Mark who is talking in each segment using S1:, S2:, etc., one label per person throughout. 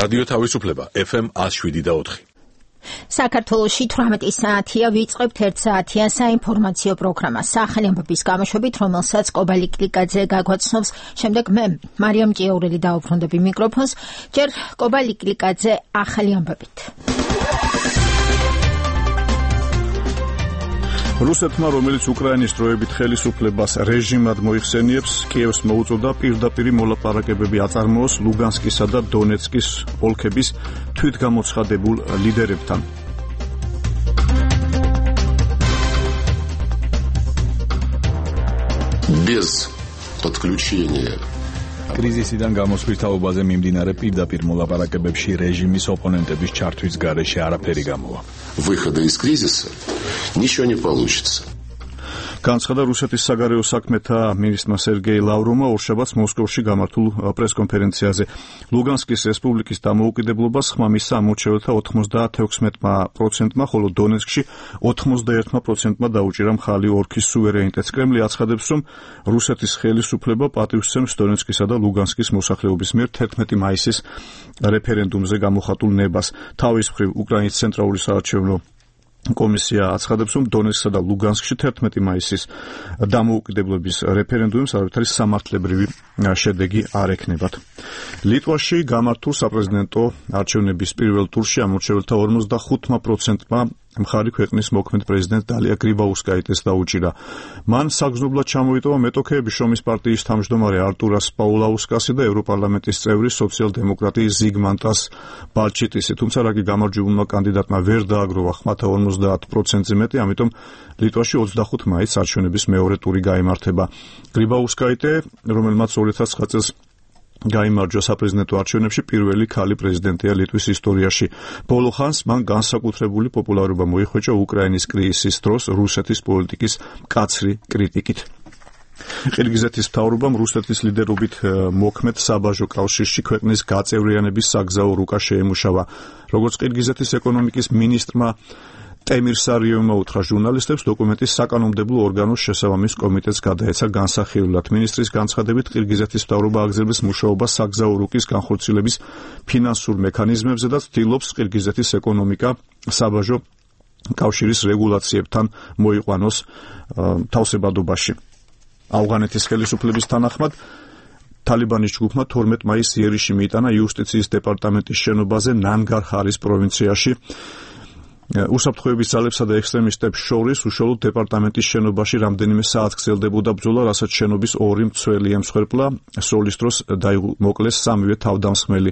S1: რადიო თავისუფლება FM 107.4.
S2: საქართველოში 18 საათია ვიწყებთ 1 საათიან საინფორმაციო პროგრამას სახელი ამბების გამოშვებით, რომელსაც კობალი კლიკაძე გაგვაცნობს. შემდეგ მე მარიამ ჭიაურელი დავუბრუნდები მიკროფონს. ჯერ კობალი კლიკაძე ახალი ამბებით.
S3: რუსეთმა, რომელიც უკრაინის დროებით ხელისუფლებას რეჟიმად მოიხსენიებს, კიევს მოუწოდა პირდაპირ მოლაპარაკებები აწარმოოს ლუგანსკისა და დონეცკის ოლქების თვითგამოცხადებულ ლიდერებთან.
S4: Без подключения
S5: კრიზისიდან გამოსვლის თაობაზე მიმდინარე პირდაპირ მოლაპარაკებებში რეჟიმის ოპონენტების ჩართვის გარეშე არაფერი გამოვა.
S4: Выхода из кризиса ничего не получится.
S3: განცხადა რუსეთის საგარეო საქმეთა მინისტრმა სერგეი ლავროვმა ორშაბათს მოსკოვში გამართულ პრესკონფერენციაზე. ლუგანსკის რესპუბლიკის დამოუკიდებლობას ხმამისცა ამორჩეველთა 96%-მა, ხოლო დონეცკში 81%-მა დაუჭირა მხალი ოლქის სუვერენიტეტს. კრემლი აცხადებს, რომ რუსეთის ხელისუფლება პატივსცემს დონეცკისა და ლუგანსკის მოსახლეობის მიერ 11 მაისის რეფერენდუმზე გამოხატულ ნებას. თავის მხრივ უკრაინის ცენტრალური საარჩევნო კომისია აცხადებს, რომ დონეცკსა და ლუგანსკში 11 მაისის დამოუკიდებლობის რეფერენდუმის არავითარი სამართლებრივი შედეგი არ ექნებათ. ლიტვაში გამართულ საპრეზიდენტო არჩევნების პირველ ტურში ამორჩეველთა 45%-მა მხარი ქვეყნის მოქმედ პრეზიდენტ დალია გრიბაუსკაიტეს დაუჭირა. მან საგრძნობლად ჩამოიტოვა მეტოქეების შრომის პარტიის თავმჯდომარე არტურას პაულაუსკასი და ევროპარლამენტის წევრი სოციალ-დემოკრატი ზიგმანტას ბალჩიტისი. თუმცა რაგი გამარჯვებულმა კანდიდატმა ვერ დააგროვა ხმათა 50%-ზე მეტი, ამიტომ ლიტვაში 25 მაისს არჩევნების მეორე ტური გაიმართება. გრიბაუსკაიტე, რომელმაც 2009 წელს გაიმარჯვა საპრეზიდენტო არჩევნებში, პირველი ქალი პრეზიდენტია ლიტვის ისტორიაში. ბოლო ხანს მან განსაკუთრებული პოპულარობა მოიხვეჭა უკრაინის კრიზისის დროს რუსეთის პოლიტიკის მკაცრი კრიტიკით. ყირგიზეთის მთავრობამ რუსეთის ლიდერობით მოქმედ საბაჟო კავშირში ქვეყნის გაწევრიანების საგზაო რუკა შეემუშავა. როგორც ყირგიზეთის ეკონომიკის მინისტრმა ტემირ სარიევმა უთხრა ჟურნალისტებს, დოკუმენტის საკანონმდებლო ორგანოს შესაბამის კომიტეტს გადაეცა განსახილველად. მინისტრის განცხადებით, ყირგიზეთის მთავრობა აგრძელებს მუშაობას საგზაო რუკის განხორციელების ფინანსურ მექანიზმებზე და ცდილობს ყირგიზეთის ეკონომიკა საბაჟო კავშირის რეგულაციებთან მოიყვანოს თავსებადობაში. ავღანეთის ხელისუფლების თანახმად თალიბანის ჯგუფმა 12 მაისს იერიში მიიტანა იუსტიციის დეპარტამენტის შენობაზე ნანგარჰარის პროვინციაში. უსაფრთხოების ძალებსა და ექსტრემისტებს შორის უშუალოდ დეპარტამენტის შენობაში რამდენიმე საათს გრძელდებოდა ბრძოლა, რასაც შენობის ორი მცველი ემსხვერპლა. სროლის დროს მოკლეს სამივე თავდამსხმელი.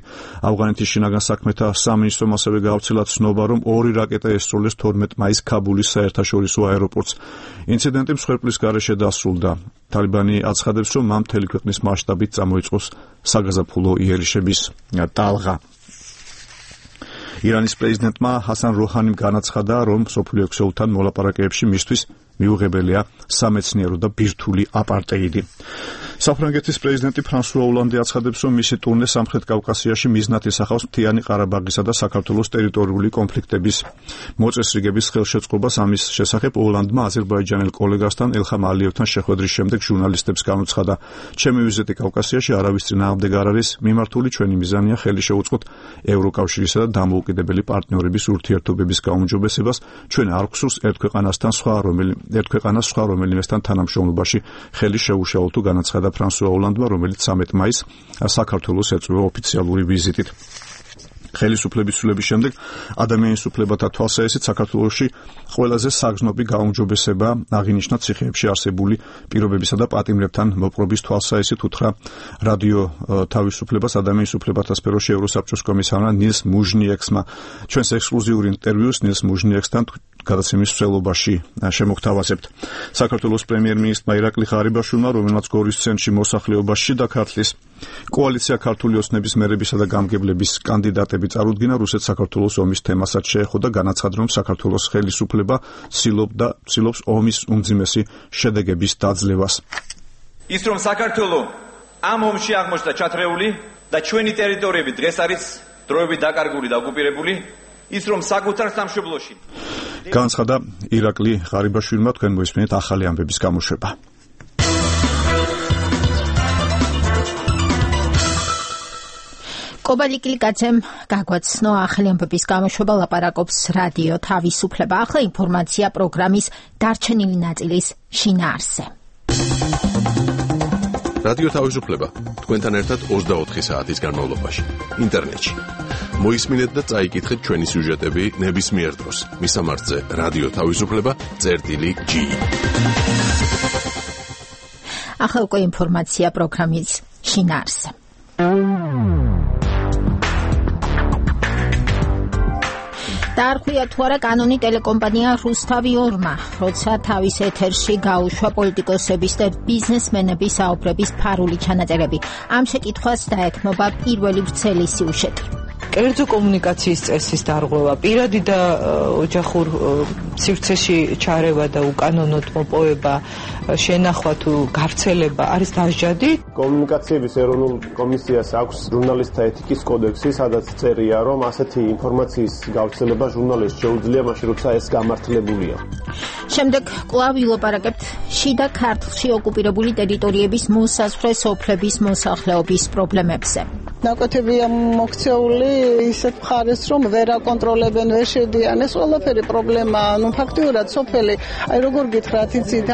S3: ავღანეთის შინაგან საქმეთა სამინისტრომ ასევე გაავრცელა ცნობა, რომ 2 რაკეტა ესროლეს 12 მაისს ქაბულის საერთაშორისო აეროპორტს. ინციდენტი მსხვერპლის გარეშე დასრულდა. თალიბანი აცხადებს, რომ მან მთელი ქვეყნის მასშტაბით წამოიწყოს საგაზაფხულო იერიშების ტალღა. ირანის პრეზიდენტმა ჰასან როჰანიმ განაცხადა, რომ მსოფლიო ქსელთან მოლაპარაკებებში მისთვის მიუღებელია სამეცნიერო და ბირთვული აპარტეიდი. საფრანგეთის პრეზიდენტი ფრანსუა ოლანდი აცხადებს, რომ მისი ტურნე სამხრეთ კავკასიაში მიზნად ისახავს მთიანი ყარაბაღისა და საქართველოს ტერიტორიული კონფლიქტების მოწესრიგების ხელშეწყობას. ამის შესახებ ოლანდმა აზერბაიჯანელ კოლეგასთან ელხამ ალიევთან შეხვედრის შემდეგ ჟურნალისტებს განუცხადა, ჩემი ვიზიტი კავკასიაში არავის წინააღმდეგ არ არის მიმართული, ჩვენი მიზანია ხელი შეუწყოთ ევროკავშირისა და დამოუკიდებელი პარტნიორების ურთიერთობების გაუმჯობესებას. ჩვენ არ გვსურს ერთ ქვეყანას სხვა რომელიმესთან თანამშრომლობაში ხელი შეუშალოთ, თუ განაცხადა ფრანსუა ოლანდმა, რომელიც 13 მაისს საქართველოს ეწვევა ოფიციალური ვიზიტით. ხელისუფლების ცვლილების შემდეგ ადამიანის უფლებათა თვალსაჩინოდ საქართველოში ყველაზე საგრძნობი გაუმჯობესება აღინიშნა ციხეებში არსებული პირობებისა და პატიმრებთან მოპყრობის თვალსაჩინოდ, უთხრა რადიო თავისუფლებას ადამიანის უფლებათა სფეროში ევროსაბჭოს კომისარმა ნილს მუჟნიექსმა. ჩვენს ექსკლუზიური ინტერვიუს ნილს მუჟნიექსთან გადაცემის მსვლელობაში შემოგთავაზებთ. საქართველოს პრემიერ-მინისტრმა ირაკლი ღარიბაშვილმა, რომელმაც გორის ცენტრში მოსახლეობა შიდა ქართლის კოალიცია ქართული ოცნების მერებისა და გამგებლების კანდიდატები წარუდგინა, რუსეთ-საქართველოს ომის თემასაც შეეხო და განაცხადა, რომ საქართველოს ხელისუფლება ცდილობს ომის უმძიმესი შედეგების დაძლევას.
S6: ის რომ საქართველოს ამ ომში აღმოჩნდა ჩათრეული და ჩვენი ტერიტორიები დღეს არის დროებით დაკარგული და ოკუპირებული, ის რომ საკუთარ სამშობლოში
S3: განცხადა ირაკლი ღარიბაშვილმა. თქვენ მოისმენთ ახალი ამბების გამოშვება.
S2: კობალიკილიკაძემ გაგვაცნო ახალი ამბების გამოშვება ლაპარაკობს რადიო თავისუფლება. ახლა ინფორმაცია პროგრამის დარჩენილი ნაწილის შინაარსზე.
S1: რადიო თავისუფლება თქვენთან ერთად 24 საათის განმავლობაში ინტერნეტში. მოისმინეთ და წაიკითხეთ ჩვენი სიუჟეტები ნებისმიერ დროს. მისამართზე რადიო თავისუფლება.g.
S2: ახლა უკვე ინფორმაცია პროგრამის შინაარსზე. დაარღვია თუ არა კანონი ტელეკომპანია რუსთავი 2-მა, როცა თავის ეთერში გაუშვა პოლიტიკოსების და ბიზნესმენების საუბრების ფარული ჩანაწერები. ამ შეკითხვას დაეთმობა პირველი ვრცელი სიუჟეტი.
S7: კერძო კომუნიკაციის წესის დარღვევა, პირადი და ოჯახურ სივრცეში ჩარევა და უკანონოდ მოპოვება, შენახვა თუ გავრცელება არის დასჯადი.
S8: კომუნიკაციების ეროვნულ კომისიას აქვს ჟურნალისტთა ეთიკის კოდექსი, სადაც წერია, რომ ასეთი ინფორმაციის გავრცელება ჟურნალისტს შეუძლია მაშინ, როცა ეს გამართლებულია.
S2: შემდეგ კვლავ ვილაპარაკებთ შიდა ქართლში ოკუპირებული ტერიტორიების მოსაზღვრე სოფლების მოსახლეობის პრობლემებზე.
S9: ნაკვეთებია მოქცეული ისეთ მხარეს, რომ ვერ აკონტროლებენ, ვერ შედიან. ეს ყველაფერი პრობლემაა. ფაქტიურად სოფელი, როგორ გითხრათ, იცით,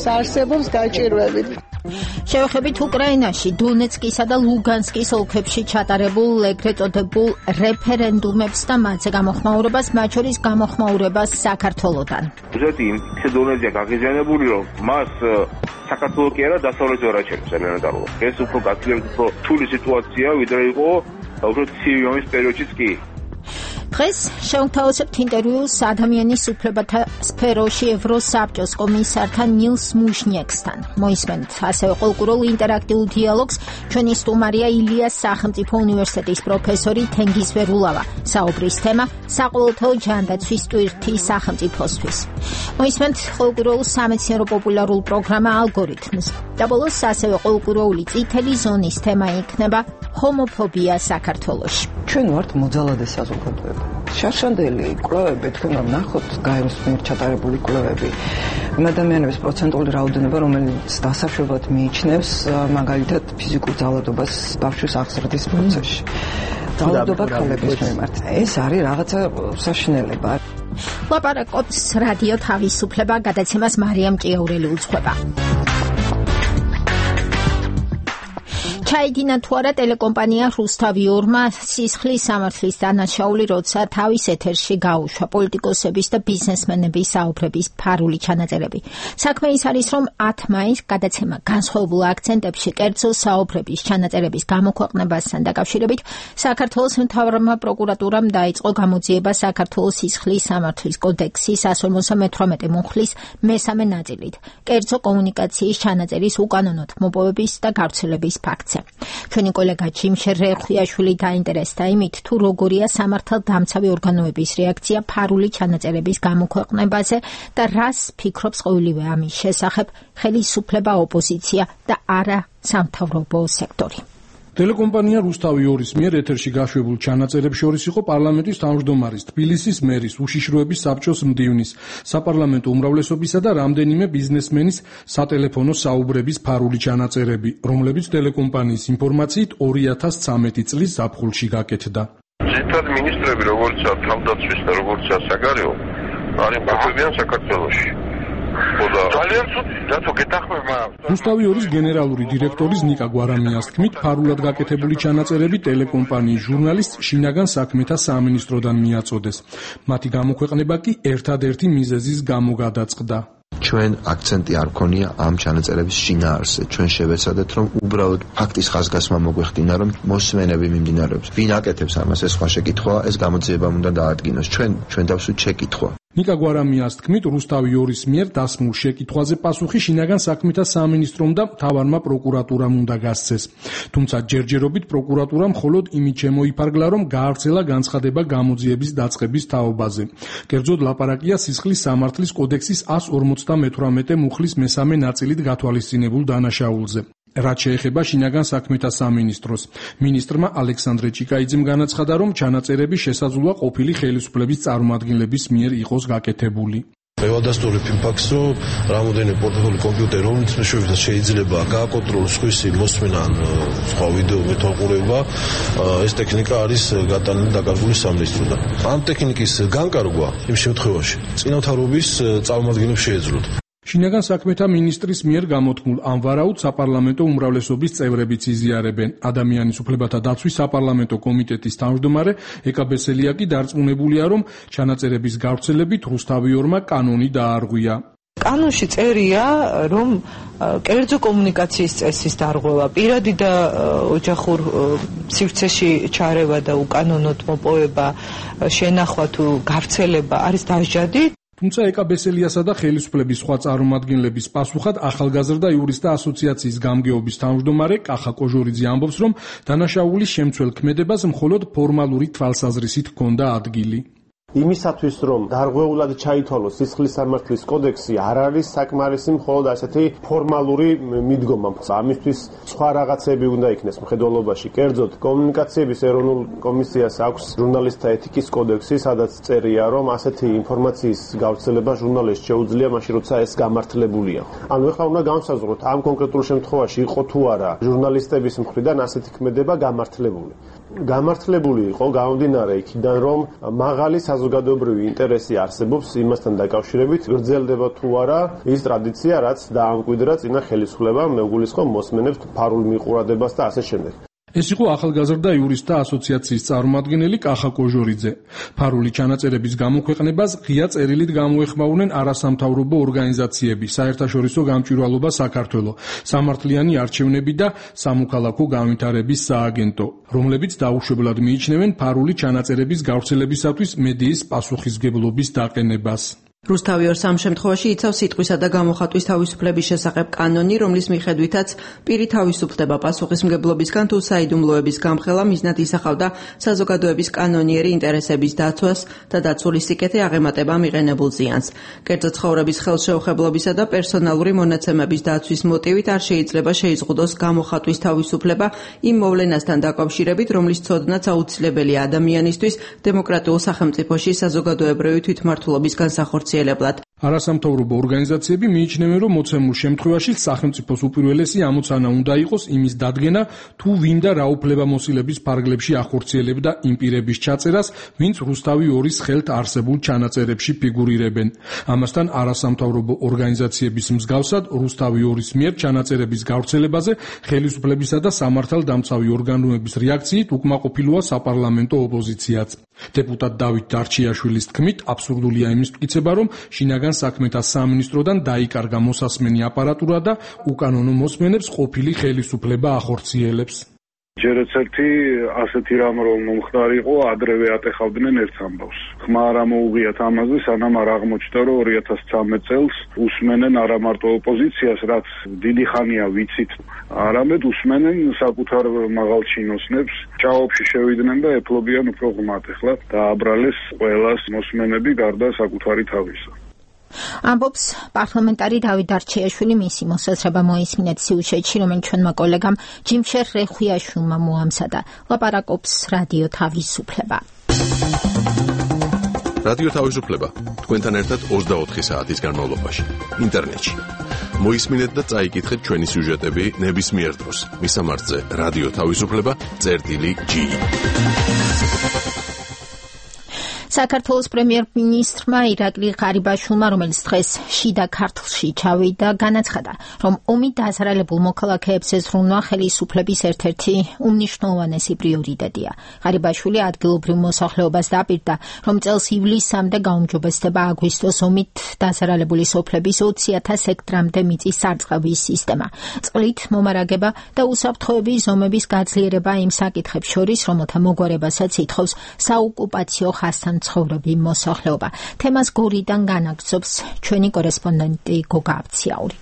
S9: არსებობს გაჭირვებით.
S2: შევეხებით უკრაინაში, დონეცკისა და ლუგანსკის ოლქებში ჩატარებულ ეგრეთ წოდებულ რეფერენდუმებს და მათზე გამოხმაურებას, მათ შორის გამოხმაურებას საქართველოდან.
S10: ზეთი ისე დონეზია გაღიზიანებული, რომ მას საქართველო კი არა, დასავლეთი ვერ აჩერებს ელემენტარულად. ეს უფრო გაცილებით უფრო რთული სიტუაცია, ვიდრე იყო უფრო ცივი ომის პერიოდშიც კი.
S2: დღეს შევთავაზებთ ინტერვიუს ადამიანის უფლებათა სფეროში ევროსაბჭოს კომისართან ნილს მუშნიექსთან. მოისმენთ ასევე ყოლკურულ ინტერაქტიულ დიალოგს ჩვენი სტუმარია ილიას სახელმწიფო უნივერსიტეტის პროფესორი თენგიზ ვერულავა. საუბრის თემა საყოველთაო ჯანდაცვის ტვირთი სახელმწიფოსთვის. მოისმენთ ყოლკურულ სამეცნიერო პოპულარულ პროგრამა ალგორითმს. და ბოლოს ასევე ყოლკურული წითელი ზონის თემა იქნება ჰომოფობია საქართველოში.
S7: ჩვენ ვართ მოძალადე საზოგადოება. შარშანდელი კვლევები, თქვენ რომ ნახოთ გაეროს მიერ ჩატარებული კვლევები, ადამიანების პროცენტული რაოდენობა, რომელიც დასაშვებად მიიჩნევს მაგალითად ფიზიკურ ძალადობას ბავშვის აღზრდის პროცესში. ძალადობა ქალების მიმართ. ეს არის რაღაცა საშინელება.
S2: ლაპარაკობს რადიო თავისუფლება, გადაცემას მარიამ ჭიაურელი უძღვება. ჩაიდინა თუ არა ტელეკომპანია რუსთავი 2-მა სისხლის სამართლის დანაშაული, როცა თავის ეთერში გაუშვა პოლიტიკოსების და ბიზნესმენების საუბრების ფარული ჩანაწერები. საქმე ის არის, რომ 10 მაისს გადაცემა განსხვავებულ აქცენტებში კერძო საუბრების ჩანაწერების გამოქვეყნებასთან დაკავშირებით საქართველოს მთავრმა პროკურატურამ დაიწყო გამოძიება საქართველოს სისხლის სამართლის კოდექსის 158 მუხლის მესამე ნაწილით, კერძო კომუნიკაციის ჩანაწერის უკანონოდ მოპოვების და გავრცელების ფაქტზე. ჩვენი კოლეგა ჯიმშერ რეხუიაშვილი დაინტერესდა იმით, თუ როგორია სამართალდამცავი ორგანოების რეაქცია ფარული ჩანაწერების გამოქვეყნებაზე და რას ფიქრობს ყოველივე ამის შესახებ ხელისუფლება, ოპოზიცია და არა სამთავრობო სექტორი.
S11: ტელეკომპანია რუსთავი 2-ის მიერ ეთერში გაშვებულ ჩანაწერებს შორის იყო პარლამენტის თავმჯდომარის, თბილისის მერის, უშიშროების საბჭოს მდივნის, საპარლამენტო უმრავლესობისა და რამდენიმე ბიზნესმენის სატელეფონო საუბრების ფარული ჩანაწერები, რომლებიც ტელეკომპანიის ინფორმაციით 2013 წლის ზაფხულში გაკეთდა.
S10: ძირითადად მინისტრები, როგორიცაა თავდაცვის და როგორიცაა საგარეო, არ იმყოფებიან საქართველოში. ძალიან ცუდი, რატო გეთახმება?
S11: რუსთავი 2-ის გენერალური დირექტორის ნიკა გვარამიას თქმით, ფარულად გაკეთებული ჩანაწერები ტელეკომპანიის ჟურნალისტს შინაგან საქმეთა სამინისტროდან მიაწოდეს. მათი გამოქვეყნება კი ერთადერთი მიზეზის გამო გადაწყდა.
S12: ჩვენ აქცენტი არ გქონია ამ ჩანაწერების შინაარსზე. ჩვენ შევეცადეთ, რომ უბრალოდ ფაქტის ხაზგასმა მოგვეხდინა, რომ მოსმენები მიმდინარეობს. ვინ აკეთებს ამას, ეს სხვა შეკითხვაა, ეს გამოძიებამ უნდა დაადგინოს. ჩვენ დავსვით შეკითხვა.
S11: ნიკა გვარამიას თქმით, რუსთავი 2-ის მიერ დასმულ შეკითხვაზე პასუხი შინაგან საქმეთა სამინისტრომ და მთავარმა პროკურატურამ უნდა გასცეს. თუმცა ჯერჯერობით პროკურატურამ მხოლოდ იმით შემოიფარგლა, რომ გაავრცელა განცხადება გამოძიების დაწყების თაობაზე. კერძოდ ლაპარაკია სისხლის სამართლის კოდექსის 158 მუხლის მესამე ნაწილით გათვალისწინებულ დანაშაულზე. რაც შეეხება შინაგან საქმეთა სამინისტროს. მინისტრმა ალექსანდრე ჭიკაიძემ განაცხადა, რომ ჩანაწერები შესაძლოა ყოფილი ხელისუფლების წარმომადგენლების მიერ იყოს გაკეთებული.
S13: ევადასტური ფაქს, რომ რამოდენიმე პორტატული კომპიუტერი, რომელიც მეშვეობით შეიძლება გააკონტროლოს სხვისი მოსმენა ან სხვა ვიდეო მეთვალყურება, ეს ტექნიკა არის გატანილი დაკარგული სამინისტროდან. ამ ტექნიკის განკარგვა იმ შემთხვევაში წინათავრობის წარმომადგენლებს შეეძლოთ.
S11: შინაგან საქმეთა მინისტრის მიერ გამოთქმულ ამ ვარაუდს საპარლამენტო უმრავლესობის წევრებიც იზიარებენ. ადამიანის უფლებათა დაცვის საპარლამენტო კომიტეტის თავმჯდომარე ეკა ბესელიაკი დარწმუნებულია, რომ ჩანაწერების გავრცელებით რუსთავიორმა კანონი დაარღვია.
S7: კანონში წერია, რომ კერძო კომუნიკაციის წესის დარღვევა, პირადი და ოჯახურ სივრცეში ჩარევა და უკანონოდ მოპოვება, შენახვა თუ გავრცელება არის დასჯადი.
S11: თუმცა ეკა ბესელიასა და ხელისუფლების სხვა წარმომადგენლების პასუხად ახალგაზრდა იურისტთა ასოციაციის გამგეობის თავმჯდომარე კახა კოჟორიძე ამბობს, რომ დანაშაულის შემცველ ქმედებას მხოლოდ ფორმალური თვალსაზრისით ჰქონდა ადგილი.
S8: იმისათვის, რომ დარღვეულად ჩაითვალოს სისხლის სამართლის კოდექსი, არ არის საკმარისი მხოლოდ ასეთი ფორმალური მიდგომა. ამისთვის სხვა რაღაცები უნდა იქნეს მხედველობაში. კერძოდ, კომუნიკაციების ეროვნულ კომისიას აქვს ჟურნალისტთა ეთიკის კოდექსი, სადაც წერია, რომ ასეთი ინფორმაციის გავრცელება ჟურნალისტს შეუძლია მაშინ, როცა ეს გამართლებულია. ანუ ეხლა უნდა განსაზღვროთ, ამ კონკრეტულ შემთხვევაში იყო თუ არა ჟურნალისტების მხრიდან ასეთი ქმედება გამართლებული. გამართლებული იყო გამომდინარე იქიდან, რომ მაღალი საზოგადოებრივი ინტერესი არსებობს იმასთან დაკავშირებით, გრძელდება თუ არა ის ტრადიცია, რაც დაამკვიდრა წინა ხელისუფლებამ, მეგულისხმობ მოსმენებს ფარულ მიყურადებას და ასე შემდეგ.
S11: ეს იყო ახალგაზრდა იურისტთა ასოციაციის წარმომადგენელი კახა კოჟორიძე. ფარული ჩანაწერების გამოქვეყნებას ღია წერილით გამოეხმაურნენ არასამთავრობო ორგანიზაციები, საერთაშორისო გამჭვირვალობა საქართველო, სამართლიანი არჩევნები და სამოქალაქო განვითარების სააგენტო, რომლებიც დაუშვებლად მიიჩნევენ ფარული ჩანაწერების გავრცელებისათვის მედიის პასუხისმგებლობის დაყენებას.
S7: რუსთავიორს ამ შემთხვევაში იცავს სიტყვისა და გამოხატვის თავისუფლების შესახებ კანონი, რომლის მიხედვითაც პირი თავისუფლდება პასუხისმგებლობისგან თუ საიდუმლოების გამხელა მიზნად ისახავდა საზოგადოების კანონიერი ინტერესების დაცვას და დაცული სიკეთე აღემატება მიღენებულ ზიანს. კერძო ცხოვრების ხელშეუხებლობისა და პერსონალური მონაცემების დაცვის მოტივით არ შეიძლება შეიზღუდოს გამოხატვის თავისუფლება იმ მოვლენასთან დაკავშირებით, რომლის ცოდნაც აუცილებელია ადამიანისთვის დემოკრატიულ სახელმწიფოში საზოგადოებრივი თვითმმართველობის განსახორციელებლად.
S11: არასამთავრობო ორგანიზაციები მიიჩნევენ, რომ მოცემულ შემთხვევაში სახელმწიფოს უპირველესი ამოცანა უნდა იყოს იმის დადგენა, თუ ვინ და რა უფლებამოსილების ფარგლებში ახორციელებდა იმ პირების ჩაწერას, ვინც რუსთავი 2-ის ხელთ არსებულ ჩანაწერებში ფიგურირებენ. ამასთან არასამთავრობო ორგანიზაციების მსგავსად რუსთავი 2-ის მიერ ჩანაწერების გავრცელებაზე ხელისუფლებისა და სამართალდამცავი ორგანოების რეაქციით უკმაყოფილოა საპარლამენტო ოპოზიციაც. დეპუტატ დავით დარჩიაშვილის თქმით, აბსურდულია იმის მტკიცება, რომ შინაგან საქმეთა სამინისტროდან დაიკარგა მოსასმენი აპარატურა და უკანონო მოსმენებს ყოფილი ხელისუფლება ახორციელებს.
S10: ჯერაც ერთი ასეთი რამ რომ მომხდარიყო, ადრევე ატეხავდნენ ერთ ამბავს. ხმა არ ამოუღიათ ამაზე, სანამ არ აღმოჩნდა, რომ 2013 წელს უსმენენ არა მარტო ოპოზიციას, რაც დიდი ხანია ვიცით, არამედ უსმენენ საკუთარ მაღალ ჩინოსნებს, ჭაობში შევიდნენ და ეფლობიან უფრო ღმად. ეხლა დააბრალეს ყველას მოსმენები გარდა საკუთარი თავისა.
S2: ამბობს პარლამენტარი დავით დარჩიაშვილი, მისი მოსაზრება მოისმინეთ სიუჟეტში, რომელიც ჩვენმა კოლეგამ ჯიმშერ რეხვიაშვილმა მოამზადა. ლაპარაკობს რადიო თავისუფლება.
S1: რადიო თავისუფლება თქვენთან ერთად 24 საათის განმავლობაში ინტერნეტში. მოისმინეთ და წაიკითხეთ ჩვენი სიუჟეტები ნებისმიერ დროს. მისამართზე რადიო თავისუფლება.g. საქართველოს პრემიერ-მინისტრმა ირაკლი ღარიბაშვილმა, რომელიც დღეს შიდა ქართლში ჩავიდა, განაცხადა, რომ ომით დაზარალებულ მოქალაქეებს ეზრუნვა ხელისუფლების ერთ-ერთი უმნიშვნელოვანესი პრიორიტეტია. ღარიბაშვილი ადგილობრივ მოსახლეობას დაპირდა, რომ წელს ივლისამდე გაუმჯობესდება აგვისტოს ომით დაზარალებული სოფლების 20,000 ჰექტრამდე მიწის სარწყავის სისტემა, წყლით მომარაგება და უსაფრთხოების ზომების გაძლიერება იმ საკითხებს შორის, რომელთა მოგვარებასაც ითხოვს საოკუპაციო ხასთან ცხოვრები მოსახლეობა. თემას გორიდან განაგრძობს ჩვენი კორესპონდენტი გოგა აბციაური.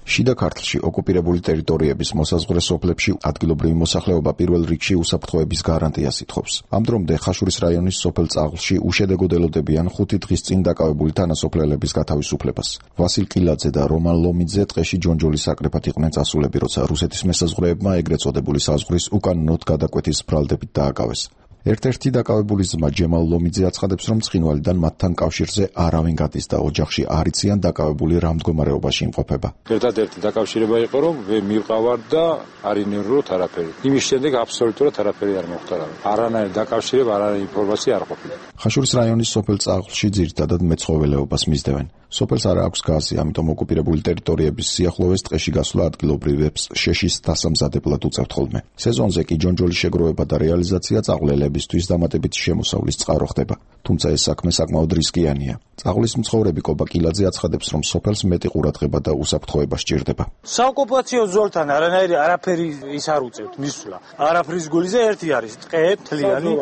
S14: შიდა ქართლში ოკუპირებული ტერიტორიების მოსაზღვრე სოფლებში ადგილობრივი მოსახლეობა პირველ რიგში უსაფრთხოების გარანტიას ითხოვს. ამ დრომდე ხაშურის რაიონის სოფელ წაღლში უშედეგოდ ელოდებიან 5 დღის წინ დაკავებული თანასოფლელების გათავისუფლებას. ვასილ კილაძე და რომან ლომიძე ტყეში ჯონჯოლის საკრეფად იყვნენ წასულები, როცა რუსეთის მესაზღვრეებმა ეგრეთ წოდებული საზღვრის უკანონოდ გადაკვეთის ბრალდებით დააკავეს. ერთ-ერთი დაკავებული ძმა ჯემალ ლომიძე აცხადებს, რომ ცხინვალიდან მათთან კავშირზე არავინ გადის და ოჯახში არ იციან დაკავებული რა მდგომარეობაში იმყოფება.
S15: ერთადერთი დაკავშირება იყო, რომ მივყავარ და არ ინერვოთ არაფერი. იმის შემდეგ აბსოლუტურად არაფერი არ მოხდა. არანაირი დაკავშირება, არანაირი ინფორმაცია არ ყოფილა.
S14: ხაშურის რაიონის სოფელ წაღლში ძირითადად მეცხოველეობას მისდევენ. სოფელს არ აქვს გაზი, ამიტომ ოკუპირებული ტერიტორიების სიახლოვეს ტყეში გასვლა ადგილობრივებს შეშის დასამზადებლად უწევთ ხოლმე. სეზონზე კი ჯონჯოლის შეგროვება და რეალიზაცია წაღლელებისთვის დამატებითი შემოსავლის წყარო ხდება. თუმცა ეს საქმე საკმაოდ რისკიანია. წაღლის მცხოვრები კობა კილაძე აცხადებს, რომ სოფელს მეტი ყურადღება და უსაფრთხოება სჭირდება.
S16: საოკუპაციო ზოლთან არაფერი ის არ უწევთ მისვლა. არაფრის გულიზე ერთი არის ტყე თლიანი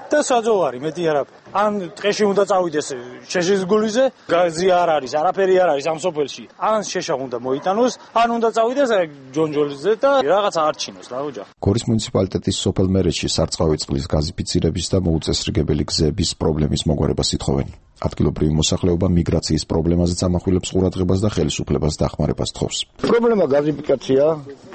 S16: და საძოვარი მეტი არაფერი. ან ტყეში უნდა წავიდეს შეშის გულიზე, გაზი არ არის, არაფერი არ არის ამ სოფელში. ან შეშა უნდა მოიტანოს, ან უნდა წავიდეს ჯონჯოლიზე და რაღაცა არჩინოს რა ოჯახი.
S14: გორის მუნიციპალიტეტის სოფელ მერეთში სარწყავი წყლის გაზიფიცირების და მოუწესრიგებელი გზების პრობლემის მოგვარებას ითხოვენ. ადგილობრივი მოსახლეობა მიგრაციის პრობლემაზეც ამახვილებს ყურადღებას და ხელისუფლებას დახმარებას თხოვს.
S17: პრობლემა გაზიფიკაცია,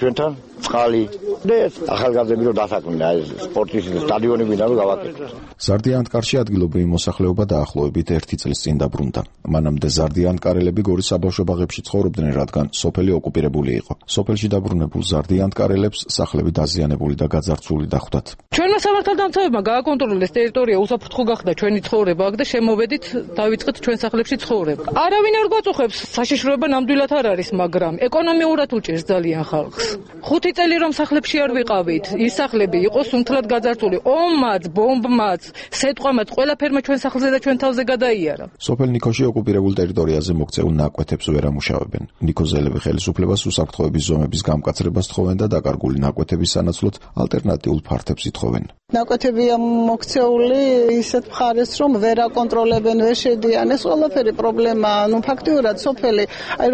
S17: ჩვენთან წყალი და ახალგაზრდები რომ დასაქმნა ეს სპორტის სტადიონები და გავაკეთოთ.
S14: ზარდიანკარში ადგილობრივი მოსახლეობა დაახლოებით 1 წლის წინ დაბრუნდა. მანამდე ზარდიანკარელები გორის საბავშვო ბაღებში ცხოვრობდნენ, რადგან სოფელი ოკუპირებული იყო. სოფელში დაბრუნებულ ზარდიანკარელებს სახლები დაზიანებული და გაძარცვული დახვდათ.
S18: ჩვენმა სამართალდამცავებმა გააკონტროლეს ტერიტორია, უსაფრთხო გახდა ჩვენი ცხოვრება აქ და შემოვედით დავიწყეთ ჩვენ სახლებში ცხოვრება. არავინ არ გვაწუხებს, საშიშროება ნამდვილად არ არის, მაგრამ ეკონომიურად უჭირს ძალიან ხალხს. 5 წელი რომ სახლებში არ ვიყავით, ის სახლები იყო სუნთლად გაძარცვული, ომმაც, ბომბმაც, სეტყვამაც, ყველაფერმა ჩვენ სახლზე და ჩვენ თავზე გადაიარა.
S14: სოფელ ნიქოში ოკუპირებულ ტერიტორიაზე მოქცეულ ნაკვეთებს ვერ ამუშავებენ. ნიქოზელები ხელისუფლებას უსაფრთხოების ზომების გამკაცრებას თხოვენ და დაკარგული ნაკვეთების სანაცვლოდ ალტერნატიულ ფართებს ითხოვენ.
S9: ნაკვეთებია მოქცეული ისეთ მხარეს, რომ ვერ აკონტროლებენ, ვერ შედიან. ეს ყველაფერი პრობლემაა. ფაქტიურად სოფელი,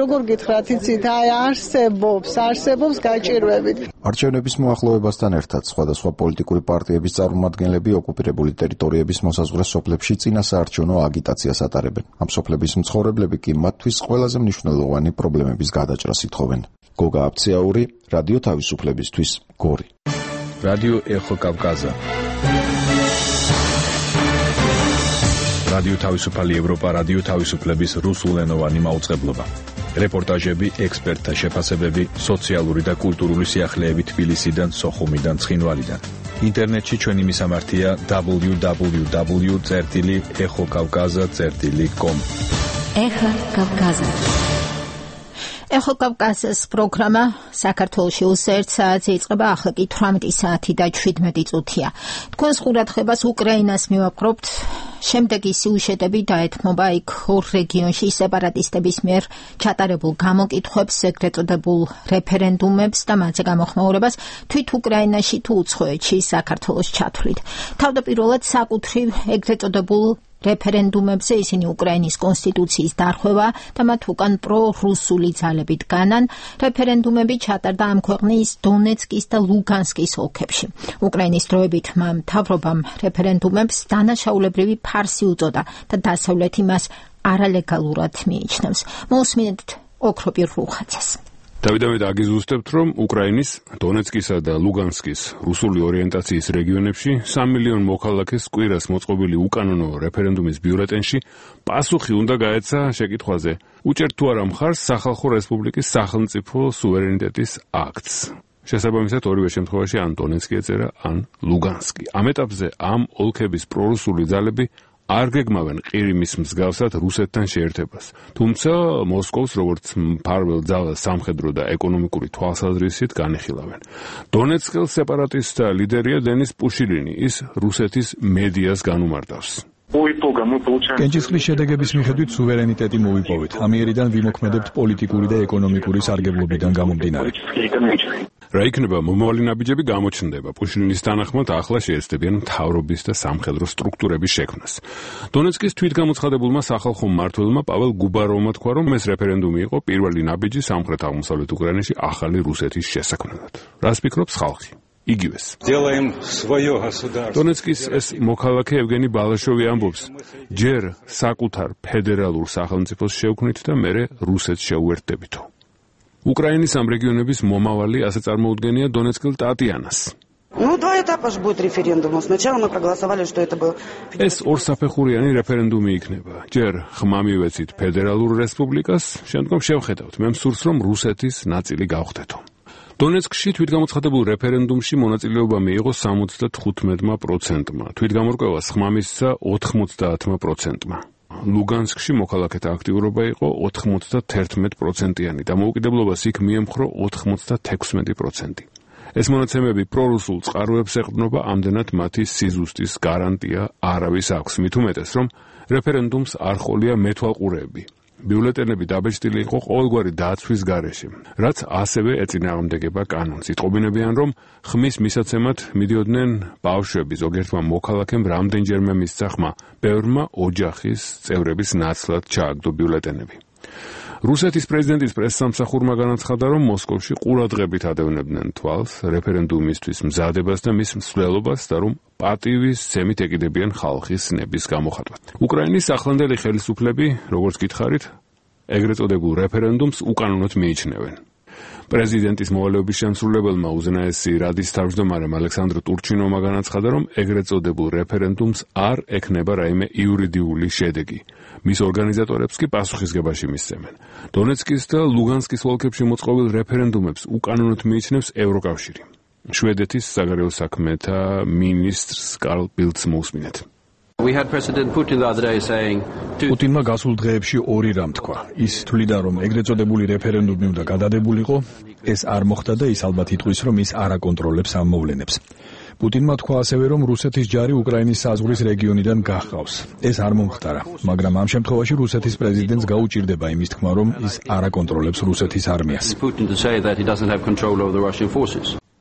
S9: როგორ გითხრათ, იცით, არსებობს გაჭირვებით.
S14: არჩევნების მოახლოებასთან ერთად სხვადასხვა პოლიტიკური პარტიების წარმომადგენლები ოკუპირებული ტერიტორიების მოსაზღვრე სოფლებში წინასაარჩევნო აგიტაციას ატარებენ. ამ სოფლების მცხოვრებლები კი მათთვის ყველაზე მნიშვნელოვანი პრობლემების გადაჭრას ითხოვენ. გოგა აფციაური, რადიო თავისუფლებისთვის, გორი.
S5: რადიო ეხო კავკაზა. რადიო თავისუფალი ევროპა, რადიო თავისუფლების რუსულენოვანი მაუწყებლობა. რეპორტაჟები, ექსპერტთა შეფასებები, სოციალური და კულტურული სიახლეები თბილისიდან, სოხუმიდან, ცხინვალიდან. ინტერნეტში ჩვენი მისამართია www.exokavkaza.com.
S2: ეხო კავკაზა. ეხო კავკაზის პროგრამა საქართველოში უსერთ საათზე იწყება, ახლა კი 18 საათი და 17 წუთია. თქვენს ყურადღებას უკრაინას მივაპყრობთ. შემდეგი სიუჟეტები დაეთმობა იქ ორ რეგიონში სეპარატისტების მიერ ჩატარებულ გამოკითხვებს, ეგრეთ წოდებულ რეფერენდუმებს და მათზე გამოხმაურებას თვით უკრაინაში თუ უცხოეთში საქართველოს ჩათვლით. თავდაპირველად საკუთრივ ეგრეთ წოდებულ რეფერენდუმებზე ისინი უკრაინის კონსტიტუციის დარღვევა და მათ უკან პრო-რუსული ძალები დგანან. რეფერენდუმები ჩატარდა ამ ქვეყნის დონეცკის და ლუგანსკის ოლქებში. უკრაინის დროებით მთავრობამ რეფერენდუმებს დანაშაულებრივი ფარსი უწოდა და დასავლეთი მას არალეგალურად მიიჩნევს. მოусმინეთ ოქროპირ რუხაძეს.
S19: დავით აგიზუსტებთ, რომ უკრაინის დონეცკისა და ლუგანსკის რუსული ორიენტაციის რეგიონებში 3 მილიონ მოქალაქეს კვირას მოწყობილი უკანონო რეფერენდუმის ბიულეტენში პასუხი უნდა გაეცა შეკითხვაზე, უჭერთ თუ არა მხარს სახალხო რესპუბლიკის სახელმწიფო სუვერენიტეტის აქტს. შესაბამისად ორივე შემთხვევაში ან დონეცკი ეწერა, ან ლუგანსკი. ამ ეტაპზე ამ ოლქების პრორუსული ძალები არ გეგმავენ ყირიმის მსგავსად რუსეთთან შეერთებას. თუმცა მოსკოვს როგორც მფარველ ძალას სამხედრო და ეკონომიკური თვალსაზრისით განიხილავენ. დონეცკის სეპარატისტთა ლიდერია დენის პუშილინი, ის რუსეთის მედიას განუმარტავს.
S5: კენჭისყრის შედეგების მიხედვით სუვერენიტეტი მოვიპოვეთ. ამიერიდან ვიმოქმედებთ პოლიტიკური და ეკონომიკური სარგებლობიდან გამომდინარე.
S19: რა იქნება მომავალი ნაბიჯები გამოჩნდება. პუშილინის თანახმად ახლა შეეცდებიან მთავრობის და სამხედრო სტრუქტურების შექმნას. დონეცკის თვითგამოცხადებულმა სახალხო მმართველმა პაվել გუბაროვმა თქვა, რომ ეს რეფერენდუმი იყო პირველი ნაბიჯი სამხრეთ-აღმოსავლეთ უკრაინაში ახალი რუსეთის შესაქმნელად. რას ფიქრობს ხალხი? იგივეს. დონეცკის ეს მოქალაქე ევგენი ბალაშოვი ამბობს, ჯერ საკუთარ ფედერალურ სახელმწიფოს შევქმნით და მერე რუსეთს შეუერთდებითო. უკრაინის ამ რეგიონების მომავალი ასე წარმოუდგენია დონეცკელ ტატიანას.
S20: Два этапа же будет референдум. Сначала мы проголосовали, что это был...
S19: ეს ორსაფეხურიანი რეფერენდუმი იქნება. ჯერ ხმა მივეცით ფედერალურ რესპუბლიკას, შემდგომ შევხედავთ. მე მსურს რომ რუსეთის ნაწილი გავხდეთო. დონეცკში თვითგამოცხადებულ რეფერენდუმში მონაწილეობა მიიღო 75%-მა, თვითგამორკვევას ხმა მისცა 90%-მა. ლუგანსკში მოქალაქეთა აქტიურობა იყო 91%-იანი, დამოუკიდებლობას იქ მიემხრო 96%. ეს მონაცემები პრორუსულ წყაროებს ეყრდნობა, ამდენად მათი სიზუსტის გარანტია არავის აქვს, მით უმეტეს, რომ რეფერენდუმს არ ჰყოლია მეთვალყურეები. ბიულეტენები დაბეჭდილი იყო ყოველგვარი დაცვის გარეშე, რაც ასევე ეწინააღმდეგება კანონს. იტყობინებიან, რომ ხმის მისაცემად მიდიოდნენ ბავშვები, ზოგიერთმა მოქალაქემ რამდენჯერმე მისცა ხმა, ბევრმა ოჯახის წევრების ნაცვლად ჩააგდო ბიულეტენები. რუსეთის პრეზიდენტის პრესსამსახურმა განაცხადა, რომ მოსკოვში ყურადღებით ადევნებდნენ თვალს რეფერენდუმისთვის მზადებას და მის მსვლელობას და რომ პატივის ცემით ეკიდებიან ხალხის ნების გამოხატვას. უკრაინის ახლანდელი ხელისუფლები, როგორც გითხარით, ეგრეთ წოდებულ რეფერენდუმს უკანონოდ მიიჩნევენ. პრეზიდენტის მოვალეობის შემსრულებელმა უზენაესი რადის თავმჯდომარემ ალექსანდრ ტურჩინოვმა განაცხადა, რომ ეგრეთ წოდებულ რეფერენდუმს არ ექნება რაიმე იურიდიული შედეგი. მის ორგანიზატორებს კი პასუხისგებაში მისცემენ. დონეცკის და ლუგანსკის ოლქებში მოწყობილ რეფერენდუმებს უკანონოდ მიიჩნევს ევროკავშირი. შვედეთის საგარეო საქმეთა მინისტრს კარლ ბილდს მოусმინეთ.
S5: პუტინმა გასულ დღეებში ორი რამ თქვა. ის თვლიდა, რომ ეგრეთ წოდებული რეფერენდუმი უნდა გადადებულიყო, ეს არ მოხდა და ის ალბათ იტყვის, რომ ის არ აკონტროლებს ამ მოვლენებს. პუტინმა თქვა ასევე, რომ რუსეთის ჯარი უკრაინის საზღვრის რეგიონიდან გაჰყავს. ეს არ მომხდარა, მაგრამ ამ შემთხვევაში რუსეთის პრეზიდენტს გაუჭირდება იმის თქმა, რომ ის არ აკონტროლებს რუსეთის არმიას.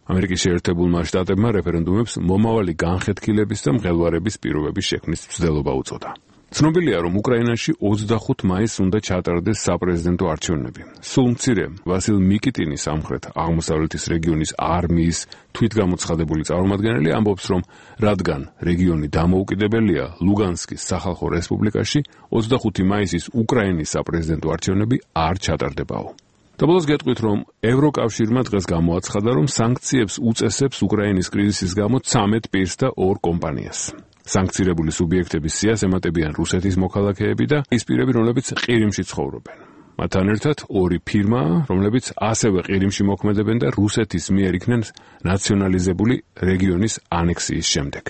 S5: ამერიკის შეერთებულმა შტატებმა რეფერენდუმებს მომავალი განხეთქილების და მღელვარების პირობების შექმნის მცდელობა უწოდა. ცნობილია, რომ უკრაინაში 25 მაისს უნდა ჩატარდეს საპრეზიდენტო არჩევნები. სულ მცირე ვასილ მიკიტინის სამხრეთ აღმოსავლეთის რეგიონის არმიის თვითგამოცხადებული წარმომადგენელი ამბობს, რომ რადგან რეგიონი დამოუკიდებელია, ლუგანსკის სახალხო რესპუბლიკაში 25 მაისის უკრაინის საპრეზიდენტო არჩევნები არ ჩატარდებაო. და ბოლოს გეტყვით, რომ ევროკავშირმა დღეს გამოაცხადა, რომ სანქციებს უწესებს უკრაინის კრიზისის გამო 13 პირს და 2 კომპანიას. სანქცირებული სუბიექტების სიას ემატებიან რუსეთის მოქალაქეები და ის პირები, რომლებიც ყირიმში ცხოვრობენ. მათთან ერთად 2 ფირმა, რომლებიც ასევე ყირიმში მოქმედებენ და რუსეთის მიერ იქნენ ნაციონალიზებული რეგიონის ანექსიის შემდეგ.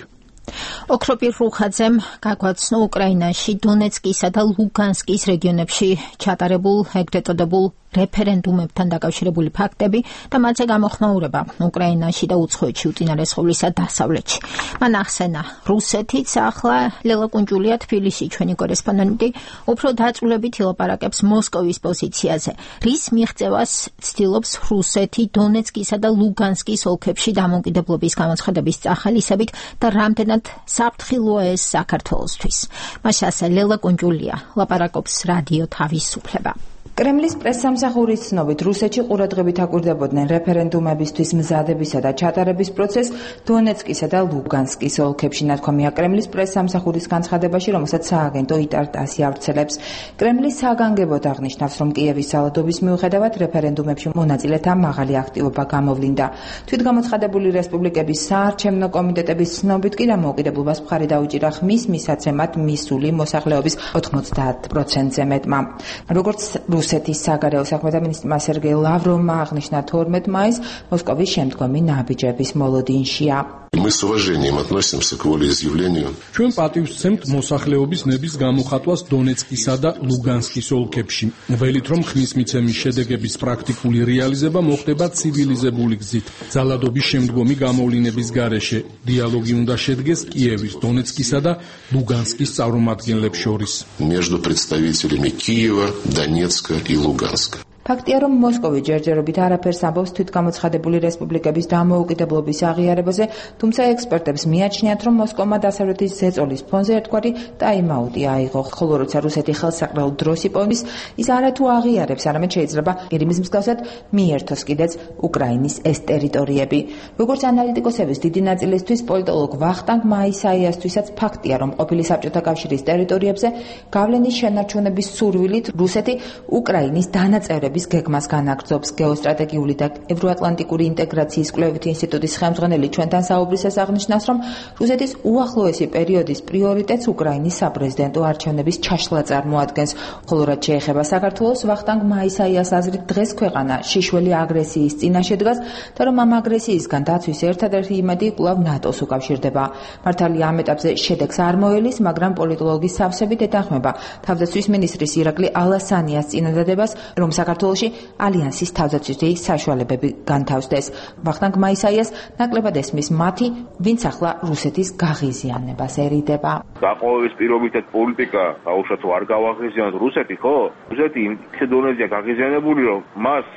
S2: ოქროპირ რუხაძემ გაგვაცნო უკრაინაში დონეცკისა და ლუგანსკის რეგიონებში ჩატარებულ ეგრეთ წოდებულ რეფერენდუმებთან დაკავშირებული ფაქტები და მათზე გამოხმაურება უკრაინაში და უცხოეთში უწინარესყავლისა დასავლეთში. მან ახსენა, რუსეთიც ახლა ლელა კუნჯულია თბილისში ჩვენი კორესპონდენტი უფრო დაწვრილებით ილაპარაკებს მოსკოვის პოზიციაზე, რის მიღწევას ცდილობს რუსეთი დონეცკისა და ლუგანსკის ოლქებში დამოუკიდებლობის გამოცხადების წახალისებით და რამდენად საფრთხილოა ეს საქართველოსთვის. მასასაც ლელა კუნჯულია ლაპარაკობს რადიო თავისუფლება.
S21: კრემლის პრესსამსახურის ცნობით, რუსეთში ყურადღებით აკვირდებოდნენ რეფერენდუმებისთვის მზადებისა და ჩატარების პროცესს დონეცკისა და ლუგანსკის ოლქებში. ნათქვამია კრემლის პრესსამსახურის განცხადებაში, რომელსაც სააგენტო იტარ-ტასი ავრცელებს. კრემლის საგანგებოდ აღნიშნავს, რომ კიევის ძალადობის მიუხედავად რეფერენდუმებში მონაწილეთა მაღალი აქტივობა გამოვლინდა. თვითგამოცხადებული რესპუბლიკების საარჩევნო კომიტეტების ცნობით კი დამოუკიდებლობას მხარი დაუჭირა ხმის მისაცემად მისული მოსახლეობის 90%-ზე მეტმა. როგორც რუსეთის საგარეო საქმეთა მინისტრმა სერგეი ლავროვმა აღნიშნა 12 მაისს მოსკოვის შემდგომი ნაბიჯების მოლოდინშია.
S4: Мы с уважением относимся к волеизъявлению.
S11: ჩვენ პატივს ვცემთ მოსახლეობის ნების გამოხატვას დონეცკისა და ლუგანსკის ოლქებში. ველით რომ ხმის მიცემის შედეგების პრაქტიკული რეალიზება მოხდება ცივილიზებული გზით. ძალადობის შემდგომი გამოვლინების გარეშე დიალოგი უნდა შედგეს კიევის, დონეცკისა და ლუგანსკის წარმომადგენლებს შორის.
S4: Между представителями Киева, Донецка и Луганска.
S21: ფაქტია, რომ მოსკოვი ჯერჯერობით არაფერს ამბობს თვითგამოცხადებული რესპუბლიკების დამოუკიდებლობის აღიარებაზე, თუმცა ექსპერტებს მიაჩნიათ, რომ მოსკოვმა დასავლეთის ზეწოლის ფონზე ერთგვარი ტაიმაუტი აიღო, ხოლო როცა რუსეთი ხელსაყრელ დროს იპოვნის, ის არათუ აღიარებს, არამედ შეიძლება ყირიმის მსგავსად მიერთოს კიდეც უკრაინის ეს ტერიტორიები. როგორც ანალიტიკოსების დიდი ნაწილისთვის, პოლიტოლოგ ვახტანგ მაისაიასთვისაც ფაქტია, რომ ყოფილი საბჭოთა კავშირის ტერიტორიებზე გავლენის შენარჩუნების სურვილით რუსეთი უკრაინის დანაწევრების შეტევების გეგმას განაგრძობს. გეოსტრატეგიული და ევროატლანტიკური ინტეგრაციის კვლევითი ინსტიტუტის ხელმძღვანელი ჩვენთან საუბრისას აღნიშნავს, რომ რუსეთის უახლოესი პერიოდის პრიორიტეტს უკრაინის საპრეზიდენტო არჩევნების ჩაშლა წარმოადგენს. ხოლო რაც შეეხება საქართველოს, ვახტანგ მაისაიას აზრით დღეს ქვეყანა შიშველი აგრესიის წინაშე დგას და რომ ამ აგრესიისგან დაცვის ერთადერთი იმედი კვლავ ნატოს უკავშირდება. მართალია ამ ეტაპზე შედეგს არ მოელის, მაგრამ პოლიტოლოგის სავსებით ეთანხმება თავდაცვის მინისტრის ირაკლი ალასანიას წინადადებას, რომ საქართველოში ალიანსის თავდაცვითი საშუალებები განთავსდეს. ვახტანგ მაისაიას ნაკლებად ესმის მათი, ვინც ახლა რუსეთის გაღიზიანებასერიდება.
S6: გაყოების პირობითად პოლიტიკა აუშვათ არ გავაღიზიანოთ რუსეთი, ხო? რუსეთი იმ დონეზეა გაღიზიანებული, რომ მას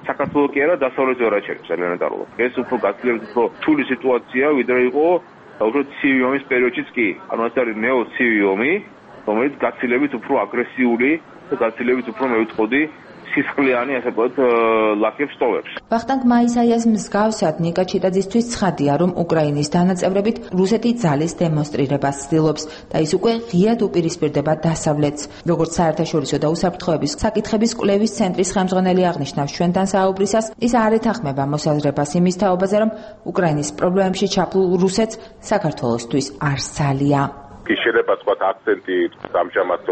S6: საქართველოს კი არა დასავლეთი ვერ აჩერებს ელემენტარულად. ეს უფრო გაცილებით უფრო რთული სიტუაცია, ვიდრე იყო უბრალოდ ცივი ომის პერიოდშიც კი. ანუ ეს არის ნეო-ცივი ომი, რომელიც გაცილებით უფრო აგრესიული და გაცილებით უფრო მე ვიტყოდი სისხლიანი ასე ვთქვათ ლაქებს ტოვებს.
S21: ვახტანგ მაისაიას მსგავსად ნიკა ჩიტაძისთვის ცხადია, რომ უკრაინის დანაწევრებით რუსეთი ძალის დემონსტრირებას ცდილობს და ის უკვე ღიად უპირისპირდება დასავლეთს. როგორც საერთაშორისო და უსაფრთხოების საკითხების კვლევის ცენტრის ხელმძღვანელი აღნიშნავს ჩვენთან საუბრისას, ის არ ეთანხმება მოსაზრებას იმის თაობაზე, რომ უკრაინის პრობლემებში ჩაფლულ რუსეთს საქართველოსთვის არ სალია.
S22: შეიძლება თქვათ აქცენტი ამჟამად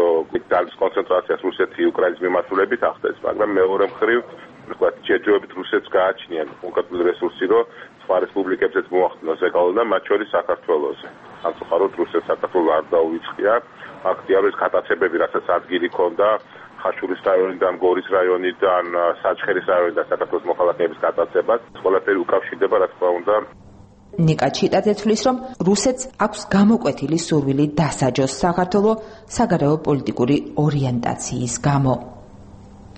S22: ძალის კონცენტრაციას რუსეთი უკრაინის მიმართულებით ახდენს, მაგრამ მეორე მხრივ თქვათ ჯერჯერობით რუსეთს გააჩნიან კონკრეტული რესურსი, რომ სხვა რესპუბლიკებსაც მოახდინოს ეკალო და მათ შორის საქართველოზე. სამწუხაროდ რუსეთს საქართველოს არ დაუვიწყია. ფაქტია, რომ ეს გადაცებები, რასაც ადგილი ჰქონდა ხაშურის რაიონიდან, გორის რაიონიდან, საჩხერის რაიონიდან საქართველოს მოქალაქეების გადაცებას, ყველაფერი უკავშირდება, რა თქმა უნდა,
S21: ნიკა ჩიტაძე თვლის, რომ რუსეთს აქვს გამოკვეთილი სურვილი დასაჯოს საქართველოს საგარეო პოლიტიკური ორიენტაციის გამო.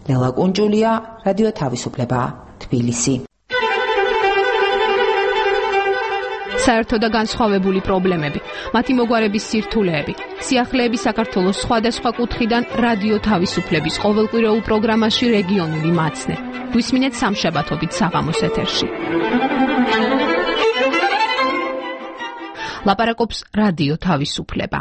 S21: ლელა კუნჯულია, რადიო თავისუფლება, თბილისი.
S23: საერთო და განსხვავებული პრობლემები, მათი მოგვარების სირთულეები, სიახლეები საქართველოს სხვადასხვა კუთხიდან რადიო თავისუფლების ყოველკვირეულ პროგრამაში რეგიონული მაცნე. გვისმინეთ სამშაბათობით საღამოს ეთერში. ლაპარაკობს რადიო თავისუფლება.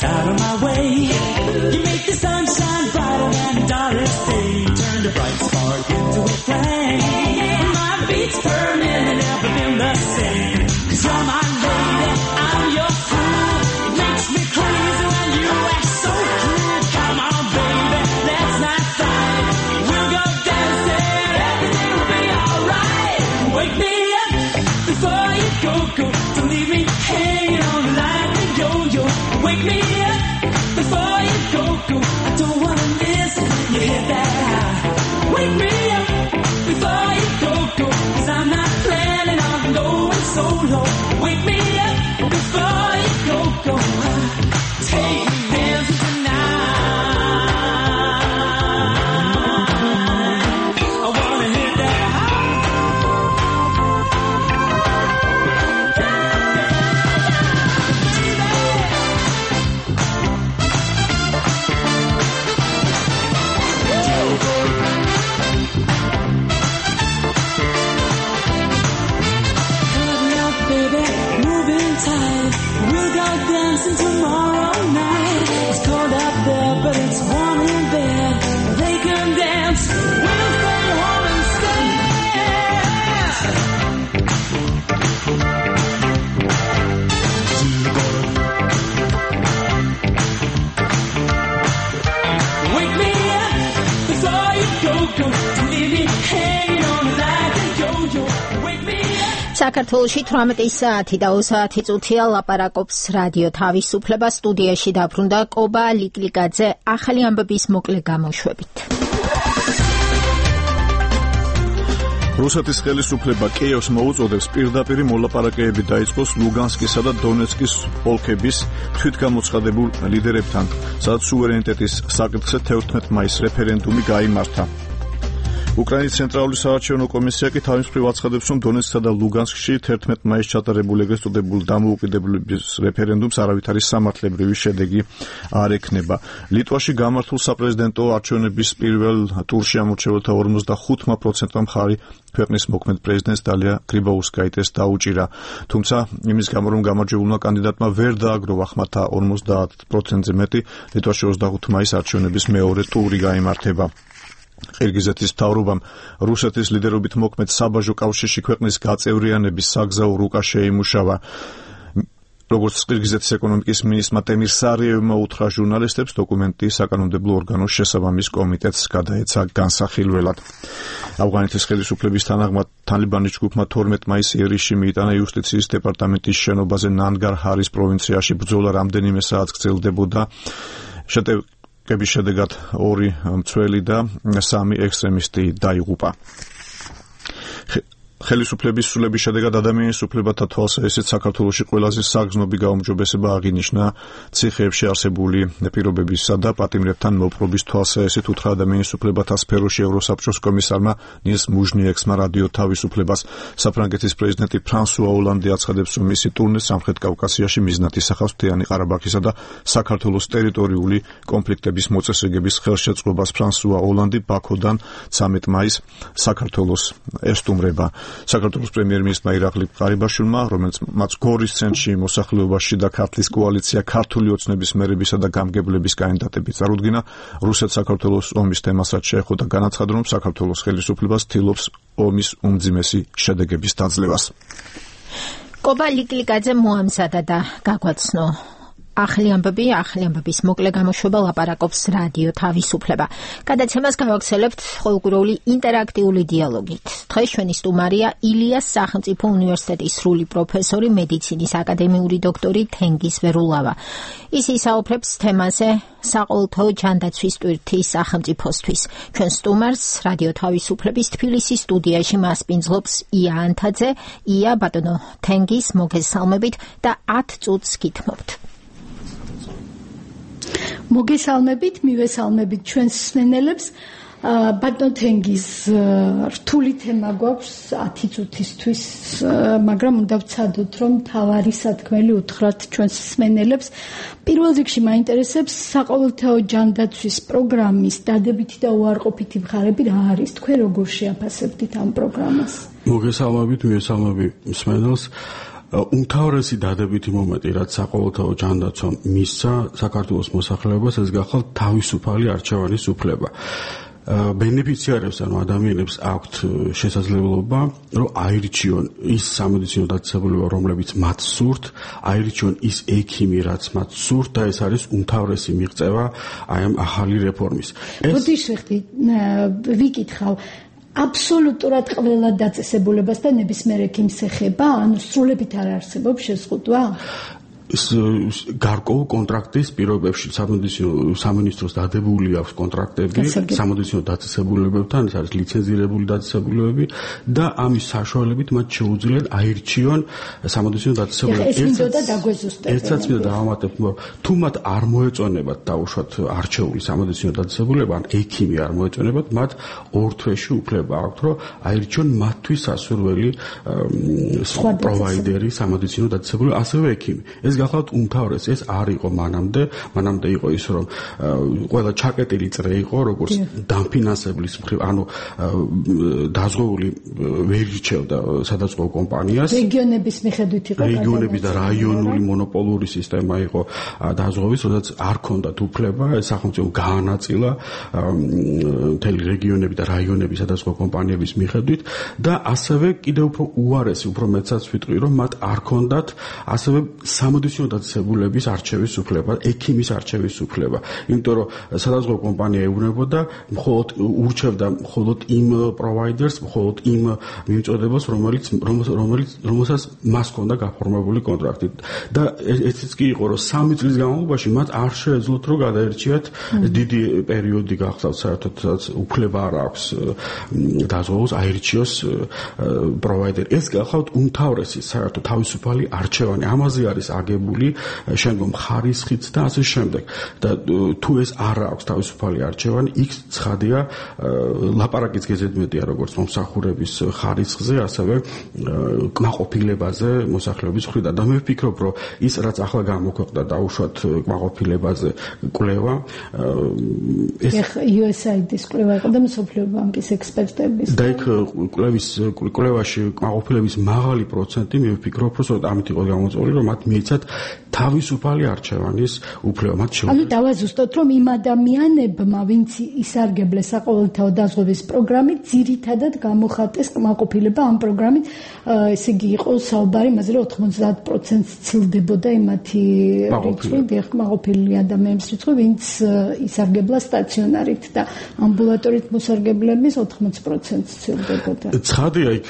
S24: Out of my way, you make the sunshine brighter than the darkest day. Turn the bright spark into a flame. My beats burning and never been the same. 'Cause you're my lady, I'm your fool. It makes me crazy when you act so cruel. Come on, baby, let's not fight. We'll go dancing, everything will be alright. Wake me up before you go. Don't leave me hanging on like a yo-yo. Wake me up before you go. I don't wanna miss you hit that high. Wake me up before you go. 'Cause I'm not planning on going solo. Wake me up before you go. Take me dancing tonight. I wanna hit that high. We'll go dancing tomorrow night. It's cold out there, but it's warm in bed. They can dance, we'll stay home and stay.
S2: საქართველოში 18 საათი და 20 წუთია ლაპარაკობს რადიო თავისუფლება. სტუდიაში დაბრუნდა კობა ლიკლიკაძე ახალი ამბების მოკლე გამოშვებით.
S3: რუსეთის ხელისუფლება კიევს მოუწოდებს პირდაპირ მოლაპარაკებები დაიწყოს ლუგანსკისა და დონეცკის ოლქების თვითგამოცხადებულ ლიდერებთან, სადაც სუვერენიტეტის საკითხზე 11 მაისს რეფერენდუმი გაიმართა. უკრაინის ცენტრალური საარჩევნო კომისია კი თავის მხრივ აცხადებს, რომ დონეცკსა და ლუგანსკში 11 მაისს ჩატარებულ ეგრეთ წოდებულ დამოუკიდებლობის რეფერენდუმს არავითარი სამართლებრივი შედეგი არ ექნება. ლიტვაში გამართულ საპრეზიდენტო არჩევნების პირველ ტურში ამორჩეველთა 45%-მა მხარი ქვეყნის მოქმედ პრეზიდენტს დალია გრიბაუსკაიტეს დაუჭირა. თუმცა იმის გამო, რომ გამარჯვებულმა კანდიდატმა ვერ დააგროვა ხმათა 50%-ზე მეტი, ლიტვაში 25 მაისს არჩევნების მეორე ტური გაიმართება. ყირგიზეთის მთავრობამ რუსეთის ლიდერობით მოქმედ საბაჟო კავშირში ქვეყნის გაწევრიანების საგზაო რუკა შეიმუშავა. როგორც ყირგიზეთის ეკონომიკის მინისტრმა ტემირ სარიევმა უთხრა ჟურნალისტებს, დოკუმენტი საკანონმდებლო ორგანოს შესაბამის კომიტეტს გადაეცა განსახილველად. ავღანეთის ხელისუფლების თანახმად თალიბანის ჯგუფმა 12 მაისს იერიშში მიიტანა იუსტიციის დეპარტამენტის შენობაზე ნანგარჰარის პროვინციაში. ბრძოლა რამდენიმე საათს გრძელდებოდა. კების შედეგად 2 მცველი და 3 ექსტრემისტი დაიღუპა. ხელისუფლების სულების შედეგად ადამიანის უფლებათა თვალსაჩინოდ საქართველოში ყველაზე საგრძნობი გაუმჯობესება აღინიშნა ციხეებში არსებული პირობებისა და პატიმრებთან მოპყრობის თვალსაჩინოდ უთხრა ადამიანის უფლებათა სფეროში ევროსაბჭოს კომისარმა ნილს მუჟნიექსმა რადიო თავისუფლებას. საფრანგეთის პრეზიდენტი ფრანსუა ოლანდი აცხადებს, რომ მისი ტურნე სამხრეთ კავკასიაში მიზნად ისახავს მთიანი ყარაბაღისა და საქართველოს ტერიტორიული კონფლიქტების მოწესრიგების ხელშეწყობას. ფრანსუა ოლანდი ბაქოდან 13 მაისს საქართველოს ესტუმრება. საქართველოს პრემიერ-მინისტრმა ირაკლი ყარიბაშვილმა, რომელიც მათ გორის ცენტრში მოსახლეობაში და ქართლის კოალიცია ქართული ოცნების მერებისა და გამგებლების კანდიდატები წარუდგინა, რუსეთ-საქართველოს ომის თემასაც შეეხო და განაცხადა, რომ საქართველოს ხელისუფლება ცდილობს ომის უმძიმესი შედეგების დაძლევას.
S2: კობა ლიკლიკაძე მოამზადა და გაგვაცნო ახალი ამბების მოკლე გამოშვება ლაპარაკობს რადიო თავისუფლება. გადაცემას გავაგრძელებთ ყოველკვირეული ინტერაქტიული დიალოგით. დღეს ჩვენი სტუმარია ილიას სახელმწიფო უნივერსიტეტის სრული პროფესორი, მედიცინის აკადემიური დოქტორი თენგიზ ვერულავა. ის ისაუბრებს თემაზე საყოველთაო ჯანდაცვის ტვირთის სახელმწიფოსთვის. ჩვენ სტუმარს რადიო თავისუფლების თბილისის სტუდიაში მასპინძლობს ია ანთაძე. ია, ბატონო თენგიზ, მოგესალმებით და 10 წუთს გითმობთ.
S8: მოგესალმებით, მივესალმებით ჩვენს მსმენელებს. ბატონ თენგიზ, რთული თემა გვაქვს 10 წუთისთვის, მაგრამ უნდა ვცადოთ, რომ თავარი სათქმელი უთხრათ ჩვენს მსმენელებს. პირველ რიგში მაინტერესებს საყოველთაო ჯანდაცვის პროგრამის დადებითი და უარყოფითი მხარეები რა არის? თქვენ როგორ შეაფასებთ ამ პროგრამას?
S12: მოგესალმებით, მივესალმებით მსმენელს. უმთავრესი დადებითი მომენტი, რაც საყოველთაო ჯანდაცვამ მისცა საქართველოს მოსახლეობას, ეს გახალ თავისუფალი არჩევანის უფლება. ბენეფიციარებს, ანუ ადამიანებს აქვთ შესაძლებლობა, რომ აირჩიონ ის სამედიცინო დაწესებულება, რომლებიც მათ სურთ, აირჩიონ ის ექიმი, რაც მათ სურთ და ეს არის უმთავრესი მიღწევა აი ამ ახალი რეფორმის.
S8: ვიკითხავ აბსოლუტურად ყველა დაწესებულებას და ნებისმიერ ექიმს ეხება, ანუ სრულებით არ არსებობს შეზღუდვა?
S12: გარკვეულ კონტრაქტის პირობებში სამინისტროს დადებული აქვს კონტრაქტები სამედიცინო დაწესებულებებთან, ეს არის ლიცენზირებული დაწესებულებები და ამის საშუალებით მათ შეუძლიათ აირჩიონ სამედიცინო დაწესებულებები. ერთსაც მინდა დავამატებ, თუ მათ არ მოეწონებათ დაუშვათ არჩეული სამედიცინო დაწესებულება, ან ექიმი არ მოეწონებათ, მათ 2 თვეში უფლება აქვთ, რომ აირჩიონ მათთვის სასურველი პროვაიდერი სამედიცინო დაწესებულება, ასევე ექიმი. ეს გახლავთ უმთავრესი, ეს არ იყო მანამდე იყო ის, რომ ყველა ჩაკეტილი წრე იყო, როგორც დამფინანსებლის მხრივ, ანუ დაზღვეული ვერ ირჩევდა სადაზღვევო კომპანიას.
S8: რეგიონების მიხედვით იყო.
S12: რეგიონების და რაიონული მონოპოლური სისტემა იყო დაზღვევის, როდესაც არ ჰქონდათ უფლება, სახელმწიფო გაანაწილა მთელი რეგიონები და რაიონები სადაზღვევო კომპანიების მიხედვით და ასევე კიდევ უფრო უარესი, უფრო მეცაც ვიტყვი, რომ მათ არ ჰქონდათ ასევე სამედიცინო დაწესებულების არჩევის უფლება, ექიმის არჩევის უფლება. იმიტომ რომ სადაზღვევო კომპანია ეუბნებოდა ურჩევდა მხოლოდ იმ პროვაიდერს, მხოლოდ იმ მიმწოდებას, რომელსაც მას ჰქონდა გაფორმებული კონტრაქტი. და ესეც კი იყო, რომ 3 წლის განმავლობაში მათ არ შეეძლოთ რომ გადაერჩიათ დიდი პერიოდი გახსოვთ საერთოდ უფლება არ აქვს დაზღვევოს აირჩიოს პროვაიდერი. ეს გახავთ უმთავრესი საერთოდ თავისუფალი არჩევანი. ამაზე არის აგებული შემდგომ ხარისხიც და ასე შემდეგ. და თუ ეს არ აქვს თავისუფალი არჩევანი, იქ ცხადია ლაპარაკიც გეზედმეტია როგორც მომსახურების ხარისხზე, ასევე კმაყოფილებაზე მოსახლეობის მხრიდან. და მე ვფიქრობ, რომ ის რაც ახლა გამოქვეყნდა დაუშვათ კმაყოფილებაზე კვლევა
S8: ეს USAID-ის კვლევა იყო და მსოფლიო ბანკის ექსპერტების
S12: და იქ კვლევაში კმაყოფილების მაღალი პროცენტი მე ვფიქრობ, რომ ამით იყო გამოწვეული, რომ მათ მიეცათ თავისუფალი არჩევანის უფლება. მათ
S8: ანუ დავაზუსტოთ, რომ იმ ადამიანებმა, ვინც ისარგებლეს საყოველთაო დაზღვევის პროგრამით, ძირითადად გამოხატეს კმაყოფილება ამ პროგრამით, ესე იგი იყო საუბარი იმაზე, რომ 90% ცილდებოდა იმათი რიცხვი, კმაყოფილი ადამიანების რიცხვი, ვინც ისარგებლა სტაციონარით და ამბულატორით მოსარგებლების 80% ცილდებოდა.
S12: ცხადია, იქ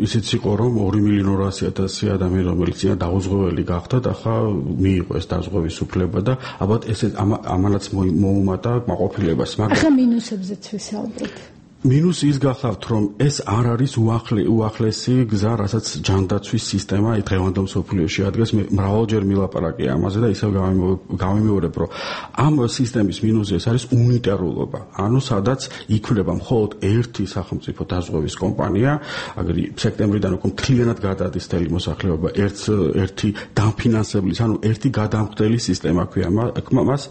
S12: ისიც იყო, რომ 2.200.000 ადამიანი, რომელიც დაუზღვეველი გახდა და ახლა მიიღო ეს დაზღვევის უფლება და ალბათ ესე ამანაც მოუმატა კმაყოფილებას.
S8: ახლა მინუსებზეც ვისაუბრეთ.
S12: მინუსი ის გახლავთ, რომ ეს არ არის უახლესი გზა, რასაც ჯანდაცვის სისტემა დღევანდელ მსოფლიოში ადგას. მე მრავალჯერ მილაპარაკია ამაზე და ისევ გამიმეორებ, რომ ამ სისტემის მინუსი ეს არის უნიტარულობა. ანუ სადაც იქმნება მხოლოდ ერთი სახელმწიფო დაზღვევის კომპანია, აგერ სექტემბრიდან უკვე მთლიანად გადადის მთელი მოსახლეობა ერთი დამფინანსებლის, ანუ ერთი გადამხდელი სისტემა ქვია მას.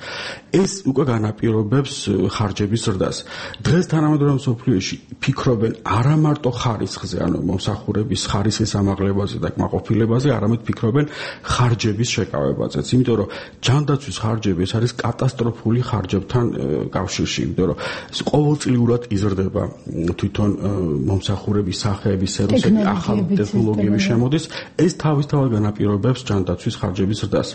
S12: ეს უკვე განაპირობებს ხარჯების ზრდას. დღეს თანამედროვე მსოფლიოში ფიქრობენ არა მარტო ხარისხზე, ანუ მომსახურების ხარისხის ამაღლებაზე და კმაყოფილებაზე, არამედ ფიქრობენ ხარჯების შეკავებაზეც. იმიტომ რომ ჯანდაცვის ხარჯები ეს არის კატასტროფული ხარჯებთან კავშირში, იმიტომ რომ ყოველწლიურად იზრდება თვითონ მომსახურების სახეების სერვისები, ახალი ტექნოლოგიები შემოდის, ეს თავისთავად განაპირობებს ჯანდაცვის ხარჯების ზრდას.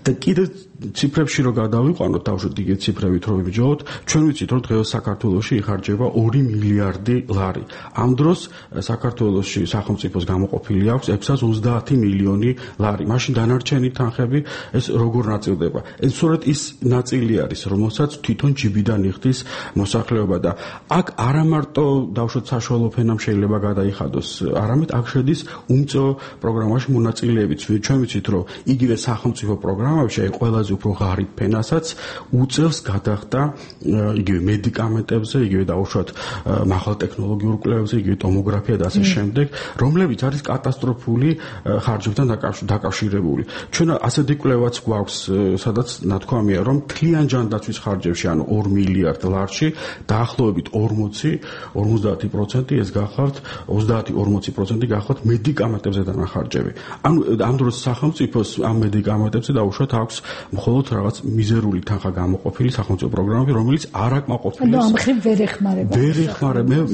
S12: და კიდევ ციფრებში რო გადავიყვანოთ, დავუშვათ იგივე ციფრებით რო ვიბიჯოლოთ, ჩვენ ვიცით რომ დღეს საქართველოში იხარჯება 2 მილიარდი ლარი. ამ დროს საქართველოში სახელმწიფოს გამოყოფილი აქვს 630 მილიონი ლარი. მაშინ დანარჩენი თანხები ეს როგორ ნაწილდება? ეს სწორედ ის ნაწილი არის, რომელსაც თვითონ ჯიბიდან იხდის მოსახლეობა და აქ არა მარტო დავუშვათ საშუალო ფენამ შეიძლება გადაიხადოს, არამედ აქ შედის უმწო პროგრამაში მონაწილეებიც. ჩვენ ვიცით რომ იგივე სახელმწიფო პროგრამებში აი ყველაზე უფრო ღარიბ ფენასაც უწევს გადახდა იგივე მედიკამენტებზე, იგივე დავუშვათ მაღალ ტექნოლოგიურ კვლევებზე, იგივე ტომოგრაფია და ასე შემდეგ, რომლებიც არის კატასტროფული ხარჯებთან დაკავშირებული. ჩვენ ასეთი კვლევაც გვაქვს, სადაც ნათქვამია, რომ მთლიან ჯანდაცვის ხარჯებში, ანუ 2 მილიარდ ლარში, დაახლოებით 50% ეს გახლავთ, 30-40% გახლავთ მედიკამენტებზე დანახარჯები. ანუ ამ დროს სახელმწიფოს ამ მედიკამენტებზე დაუშვათ აქვს მხოლოდ რაღაც მიზერული თანხა გამოყოფილი სახელმწიფო პროგრამები, რომელიც არ აკმაყოფილებს.
S8: ანუ ამ ხრივ ვერ ეხმარება.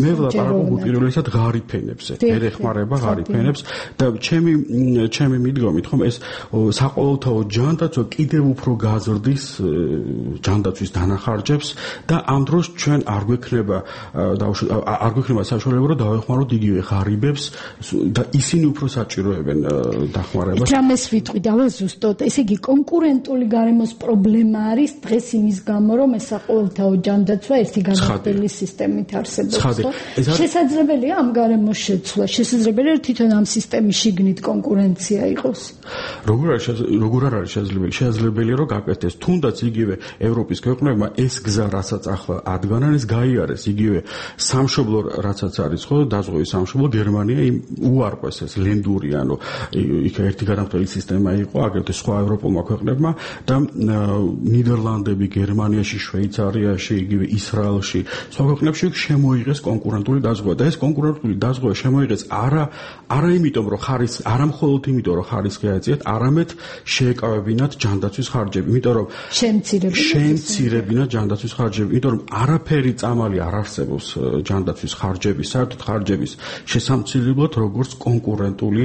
S12: მე ვლაპარაკობ უპირველესად ღარიბ ფენებზე. ვერ ეხმარება ღარიბ ფენებს და ჩემი მიდგომით ხომ ეს საყოველთაო ჯანდაცვა კიდევ უფრო გაზრდის ჯანდაცვის დანახარჯებს და ამ დროს ჩვენ არ გვექნება საშუალება რომ დავეხმაროთ იგივე ღარიბებს და ისინი უფრო საჭიროებენ დახმარებას.
S8: რამეს ვიტყვი დავაზუსტოთ, ესე იგი კონკურენტული გარემოს პრობლემა არის დღეს იმის გამო, რომ ეს საყოველთაო ჯანდაცვა ერთი განახდელი სისტემით არსებობს. შესაძლებელია ამ გარემოს შეცვლა, შესაძლებელია თვითონ ამ სისტემის შიგნით კონკურენცია იყოს.
S12: როგორ არ არის შესაძლებელი? შესაძლებელია რომ გაკეთდეს. თუნდაც იგივე ევროპის ქვეყნებმა ეს გზა, რასაც ახლა ადგანან, ეს გაიარეს. იგივე სამშობლო, რასაც არის ხო, დაზღვევის სამშობლო გერმანია უარყვეს ეს ლენდური, ანუ იქ ერთი გადამხდელი სისტემა იყო, აგრეთვე სხვა ევროპულმა ქვეყნებმა და ნიდერლანდები, გერმანიაში, შვეიცარიაში, იგივე ისრაელში, სხვა ქვეყნებში შემოიღეს კონკურენტული დაზღვევა და ეს კონკურენტული დაზღვევა შემოიღეს არა იმიტომ რომ არა მხოლოდ იმიტომ რომ ხარისხი აეწიათ, არამედ შეეკავებინათ ჯანდაცვის ხარჯები, იმიტომ რომ შეემცირებინათ ჯანდაცვის ხარჯები, იმიტომ რომ არაფერი წამალი არ არსებობს ჯანდაცვის ხარჯების, საერთოდ ხარჯების შესამცირებლად, როგორც კონკურენტული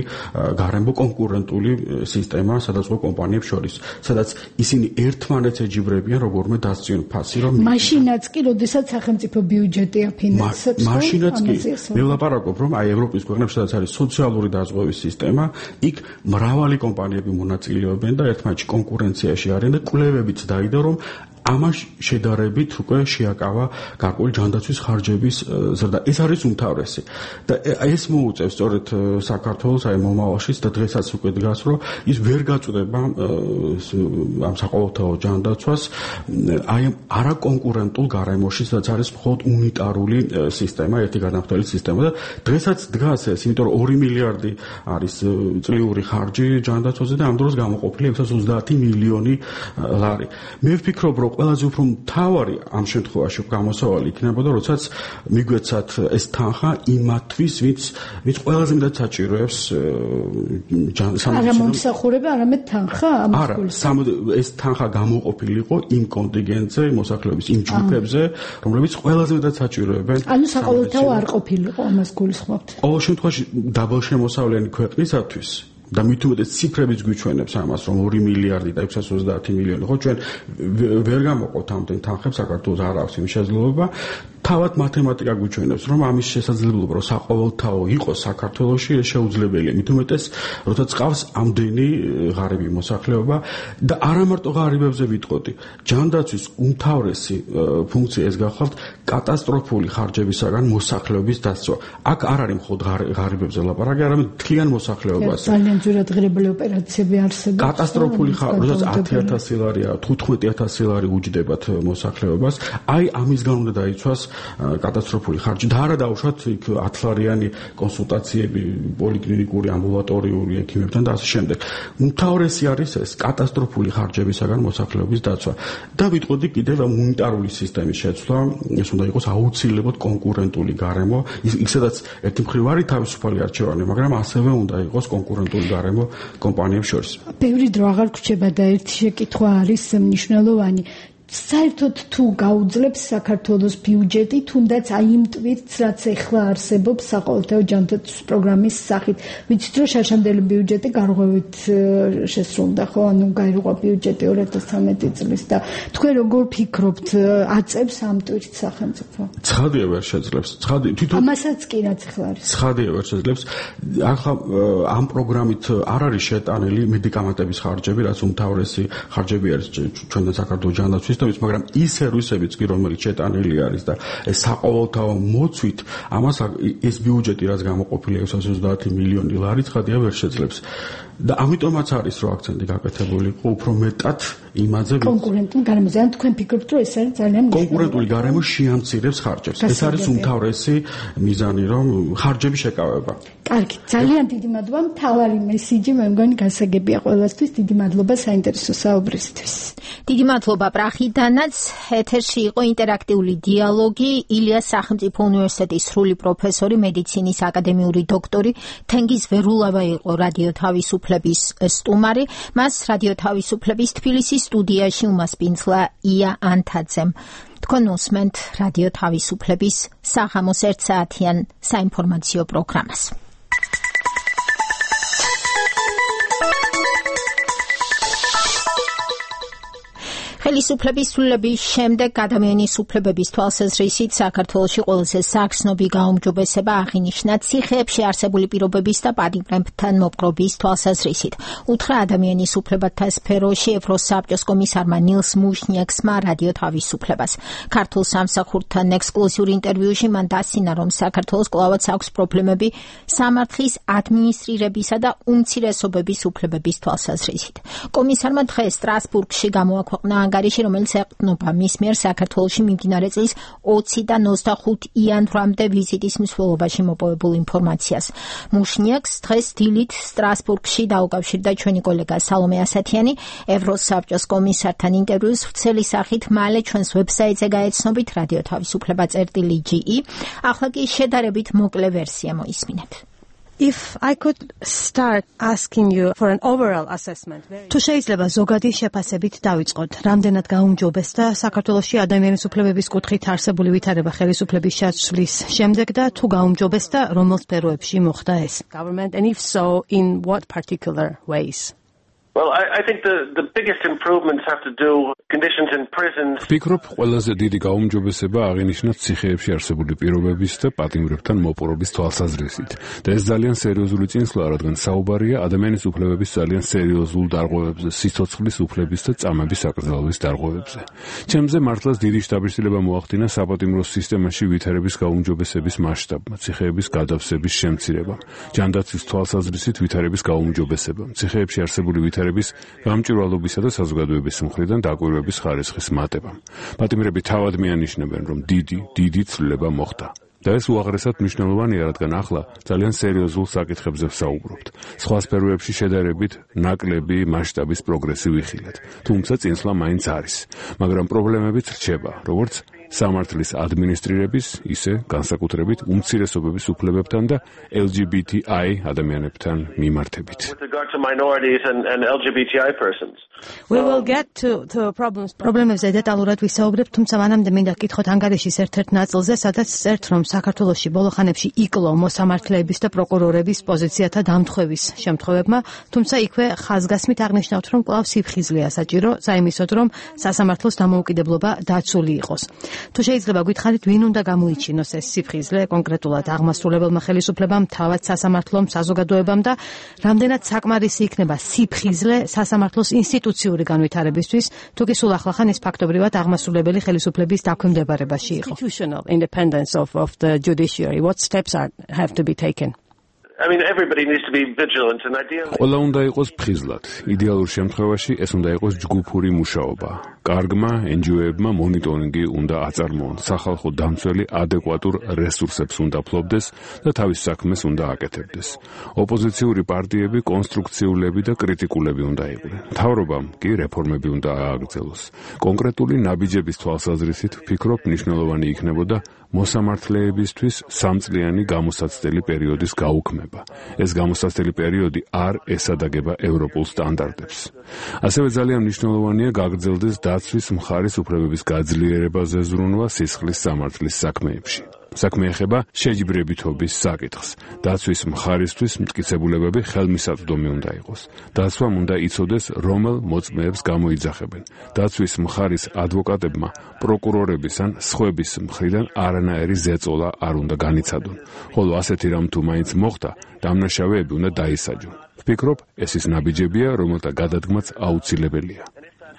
S12: გარემო კონკურენტული სისტემა სადაზღვო კომპანიებს შორის, სადაც ისინი ერთმანეთს ეჯიბრებიან როგორმე დასწიონ ფასი, რომ
S8: მაშინაც კი, როდესაც სახელმწიფო ბიუჯეტი აფინანსებს,
S12: მაშინაც კი მე ვლაპარაკობ, რომ აი ევროპის ქვეყნებში სადაც არის სოციალური დაზღვევის სისტემა, იქ მრავალი კომპანიები მონაწილეობენ და ერთმანეთში კონკურენციაში არიან და კვლევებიც დაიდო, რომ ამას შედარებით უკვე შეაკავა გარკვეული ჯანდაცვის ხარჯების ზრდა. ეს არის უმთავრესი. და ეს მოუწევს სწორედ საქართველოს აი მომავალში და დღესაც უკვე დგას, რომ ის ვერ გაწუდება ამ საყოველთაო ჯანდაცვას აი არაკონკურენტულ გარემოში, სადაც არის მხოლოდ უნიტარული სისტემა, ერთი განავრცელებული სისტემა და დღესაც დგას ეს, იმიტომ რომ 2 მილიარდი არის წლიური ხარჯი ჯანდაცვაზე და ამ დროს გამოყოფილი 630 მილიონი ლარი. მე ვფიქრობ, რომ ყველაზე უფრო მთავარი ამ შემთხვევაში გამოსავალი იქნებოდა, როდესაც მიგვეცათ ეს თანხა იმათთვის, ვინც ყველაზე მეტად საჭიროებს
S8: არა მომსახურება, არამედ თანხა ამის
S12: გულისხმობ. ეს თანხა გამოყოფილიყო იმ კონტინგენტზე, მოსახლეობის იმ ჯგუფებზე, რომლებიც ყველაზე მეტად საჭიროებენ.
S8: ანუ საყოველთაო არ ყოფილიყო ამას გულისხმობთ.
S12: ყოველ შემთხვევაში დაბალშემოსავლიანი ქვეყნისათვის და მით უმეტეს ციფრებიც გვიჩვენებს ამას, რომ 2 მილიარდი და 630 მილიონი, ხო, ჩვენ ვერ გამოყავთ ამდენ თანხებს, საქართველოს არ აქვს იმის შესაძლებლობა. თავად მათემატიკა გვიჩვენებს, რომ ამის შესაძლებლობა, რომ საყოველთაო იყოს საქართველოში, ეს შეუძლებელია. მით უმეტეს, როდესაც ყავს ამდენი ღარიბი მოსახლეობა და არა მარტო ღარიბებზე ვიტყოდი. ჯანდაცვის უმთავრესი ფუნქცია ეს გახლავთ კატასტროფული ხარჯებისაგან მოსახლეობის დასწრა. აქ არ არის მხოლოდ ღარიბებზე ლაპარაკი, არამედ მთლიან მოსახლეობაზე.
S8: ძალიან ძვირადღირებული ოპერაციები არსებობს.
S12: კატასტროფული ხარჯი, როდესაც 10000 ლარია, 15000 ლარი უჯდებათ მოსახლეობას, აი ამის გამო უნდა დაიცვას კატასტროფული ხარჯი და არა დაუშვათ იქ 10 ლარიანი კონსულტაციები პოლიკლინიკური, ამბულატორიული ექიმებთან და ასე შემდეგ. უმთავრესი არის ეს კატასტროფული ხარჯებისაგან მოსახლეობის დაცვა. და ვიტყოდი კიდევ უნიტარული სისტემის შეცვლა, ეს უნდა იყოს აუცილებლად კონკურენტული გარემო, ისედაც ერთი მხრივ არის თავისუფალი არჩევანი, მაგრამ ასევე უნდა იყოს კონკურენტული გარემო კომპანიებს შორის.
S8: ბევრი დრო აღარ გვჩება და ერთი შეკითხვა არის მნიშვნელოვანი. საერთოდ თუ გაუძლებს საქართველოს ბიუჯეტი, თუნდაც აი იმ ტვირთს, რაც ეხლა არსებობს საყოველთაო ჯანდაცვის პროგრამის სახით. ვიცით, რომ შარშანდელი ბიუჯეტი გარღვევით შესრულდა, ხო? ანუ გაირღვა ბიუჯეტი 2013 წლის და თქვენ როგორ ფიქრობთ, აწევს ამ ტვირთს სახელმწიფო?
S12: ცხადია ვერ შეძლებს. თვითონ
S8: ამასაც კი რაც ეხლა არის.
S12: ცხადია ვერ შეძლებს. ახლა ამ პროგრამით არ არის შეტანილი მედიკამენტების ხარჯები, რაც უმთავრესი ხარჯები არის ჩვენთან საქართველოს ჯანდაცვის, მაგრამ ისე რუსებიც კი რომელიც შეტანილი არის და ეს საყოველთაო მოცვით ამას ეს ბიუჯეტი რაც გამოყოფილია 630 მილიონი ლარი ცხადია ვერ შეძლებს. და ამიტომაც არის რომ აქცენტი გაკეთებული იყო უფრო მეტად იმაზე
S8: კონკურენტულ გარემოზე. ან თქვენ ფიქრობთ რომ ეს არის ძალიან
S12: კონკურენტული გარემო შეამცირებს ხარჯებს. ეს არის უმთავრესი მიზანი რომ ხარჯები შეკავება.
S8: კარგი, ძალიან დიდი მადლობა. მთავარი მესიჯი მე მგონი გასაგებია ყველასთვის. დიდი მადლობა საინტერესო საუბრისთვის.
S2: დიდი მადლობა პრახიდანაც. ეთერში იყო ინტერაქტიული დიალოგი. ილიას სახელმწიფო უნივერსიტეტის სრული პროფესორი, მედიცინის აკადემიური დოქტორი თენგიზ ვერულავა იყო რადიო თავისუფლების სტუმარი. მას რადიო თავისუფლების თბილისის სტუდიაში უმასპინძლა ია ანთაძემ. თქვენ უსმენთ რადიო თავისუფლების საღამოს 1 საათიან საინფორმაციო პროგრამას. ხელისუფლების ცვლილების შემდეგ ადამიანის უფლებების თვალსაზრისით საქართველოში ყველაზე საგრძნობი გაუმჯობესება აღინიშნა ციხეებში არსებული პირობების და პატიმრებთან მოპყრობის თვალსაზრისით. უთხრა ადამიანის უფლებათა სფეროში ევროსაბჭოს კომისარმა ნილს მუშნიექსმა რადიო თავისუფლებას. ქართულ სამსახურთან ექსკლუზიურ ინტერვიუში მან დასცინა, რომ საქართველოს კვლავაც აქვს პრობლემები სამართლის ადმინისტრირებისა და უმცირესობების უფლებების თვალსაზრისით. კომისარმა დღეს სტრასბურგში გამოაქვეყნა ანგარიში, რომელიც ეყრდნობა მის მიერ საქართველოში მიმდინარე წლის 20-დან 25 იანვრამდე ვიზიტის მსვლელობაში მოპოვებულ ინფორმაციას. მუშნიაკს დღეს დილით სტრასბურგში დაუკავშირდა ჩვენი კოლეგა სალომე ასათიანი. ევროსაბჭოს კომისართან ინტერვიუს ვრცელი სახით მალე ჩვენს ვებსაიტზე გაეცნობით რადიო თავისუფლება.ge. ახლა კი შედარებით მოკლე ვერსია მოისმინეთ.
S1: If I could start asking you for an overall assessment. თუ შეიძლება ზოგადი შეფასებით დავიწყოთ, რამდენად გაუმჯობესდა საქართველოში ადამიანის უფლებების კუთხით არსებული ვითარება ხელისუფლების შეცვლის შემდეგ და თუ გაუმჯობესდა, რომელ სფეროებში მოხდა ეს? Government, and if so, in what particular ways?
S7: Well, I think the biggest improvements have to do conditions in prisons.
S5: ვფიქრობ, ყველაზე დიდი გაუმჯობესება აღინიშნა ციხეებში არსებული პირობების და პატიმრებთან მოპოვების თვალსაზრისით. და ეს ძალიან სერიოზული წინსვლა, რადგან საუბარია ადამიანის უფლებების ძალიან სერიოზულ დარღვევებზე, სიცოცხლის უფლების და წამების აკრძალვის დარღვევებზე. ჩემზე მართლაც დიდი შთაბეჭდილება მოახდინა საპატიმრო სისტემაში ვითარების გაუმჯობესების მასშტაბმა, ციხეების გადავსების შემცირებამ, ჯანდაცვის თვალსაზრისით ვითარების გაუმჯობესებამ, ციხეებში არსებული ვითარების გამჭვირვალობისა და საზოგადოების მხრიდან დაკვირვების ხარისხის მატებამ. პატიმრები თავად მიანიშნებენ, რომ დიდი ცვლილება მოხდა. და ეს უაღრესად მნიშვნელოვანია, რადგან ახლა ძალიან სერიოზულ საკითხებზე ვსაუბრობთ. სხვა სფეროებში შედარებით ნაკლები მასშტაბის პროგრესი ვიხილეთ. თუმცა წინსვლა მაინც არის, მაგრამ პრობლემებიც რჩება, როგორც სამართლის ადმინისტრირების, ისე განსაკუთრებით უმცირესობების უფლებებთან და LGBTI ადამიანებთან მიმართებით.
S7: With regard to minorities and LGBTI persons.
S1: We will get to problems. პრობლემებზე დეტალურად ვისაუბრებთ, თუმცა მანამდე მინდა გკითხოთ ანგარიშის ერთ-ერთ ნაწილზე, სადაც წერთ, რომ საქართველოში ბოლო ხანებში იკლო მოსამართლეების და პროკურორების პოზიციათა დამთხევის შემთხვევებმა, თუმცა იქვე ხაზგასმით აღნიშნავთ, რომ კვლავ სიფხიზლეა საჭირო, საიმისოდ, რომ სასამართლოს დამოუკიდებლობა დაცული იყოს. თუ შეიძლება გითხარით, ვინ უნდა გამოიჩინოს ეს სიფხიზლე კონკრეტულად აღმასრულებელმა ხელისუფლებამ, თავად სასამართლომ, საზოგადოებამ და რამდენად საკმარისი იქნება სიფხიზლე სასამართლოს ინსტიტუციური განვითარებისთვის, თუ კი სულ ახლახან ის ფაქტობრივად აღმასრულებელი ხელისუფლების დაქვემდებარებაში იყო. Institutional independence of the judiciary. What steps have to be taken?
S7: I mean, everybody needs to be vigilant and ideally.
S5: ყველა უნდა იყოს ფხიზლად. იდეალურ შემთხვევაში ეს უნდა იყოს ჯგუფური მუშაობა. კარგმა NGO-ებმა მონიტორინგი უნდა აწარმოონ. სახალხო დამცველი ადეკვატურ რესურსებს უნდა ფლობდეს და თავის საქმეს უნდა აკეთებდეს. ოპოზიციური პარტიები კონსტრუქციულები და კრიტიკულები უნდა იყვნენ. მთავრობამ კი რეფორმები უნდა ააგრძელოს. კონკრეტული ნაბიჯების თვალსაზრისით ვფიქრობ, მნიშვნელოვანი იქნებოდა მოსამართლეებისთვის 3-წლიანი გამოსაცდელი პერიოდის გაუქმება. ეს გამოსაცდელი პერიოდი არ ესადაგება ევროპულ სტანდარტებს. ასევე ძალიან მნიშვნელოვანია გაგრძელდეს დაცვის მხარის უფლებების გაძლიერებაზე ზრუნვა სისხლის სამართლის საქმეებში. საქმე ეხება შეჯიბრებითობის საკითხს. დაცვის მხარისთვის მტკიცებულებები ხელმისაწვდომი უნდა იყოს. დაცვამ უნდა იცოდეს, რომელ მოწმეებს გამოიძახებენ. დაცვის მხარის ადვოკატებმა პროკურორების ან სხვების მხრიდან არანაირი ზეწოლა არ უნდა განიცადონ. ხოლო ასეთი რამ თუ მაინც მოხდა, დამნაშავეები უნდა დაისაჯონ. ვფიქრობ, ეს ის ნაბიჯებია, რომელთა გადადგმაც აუცილებელია.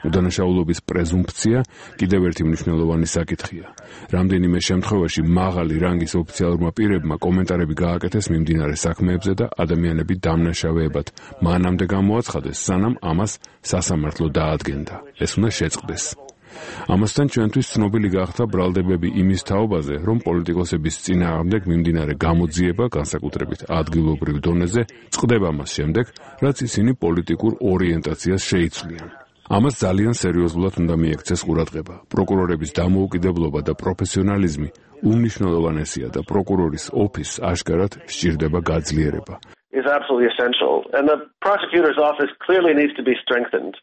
S5: უდანაშაულობის პრეზუმფცია კიდევ ერთი მნიშვნელოვანი საკითხია. რამდენიმე შემთხვევაში მაღალი რანგის ოფიციალურმა პირებმა კომენტარები გააკეთეს მიმდინარე საქმეებზე და ადამიანები დამნაშავეებად მანამდე გამოაცხადეს, სანამ ამას სასამართლო დაადგენდა. ეს უნდა შეწყდეს. ამასთან ჩვენთვის ცნობილი გახდა ბრალდებები იმის თაობაზე, რომ პოლიტიკოსების წინააღმდეგ მიმდინარე გამოძიება, განსაკუთრებით ადგილობრივ დონეზე, წყდება მას შემდეგ, რაც ისინი პოლიტიკურ ორიენტაციას შეიცვლიან. ამას ძალიან სერიოზულად უნდა მიექცეს ყურადღება. პროკურორების დამოუკიდებლობა და პროფესიონალიზმი უმნიშვნელოვანესია და პროკურორის ოფისს აშკარად სჭირდება გაძლიერება.
S7: Is absolutely essential, and the prosecutor's office clearly needs to be strengthened.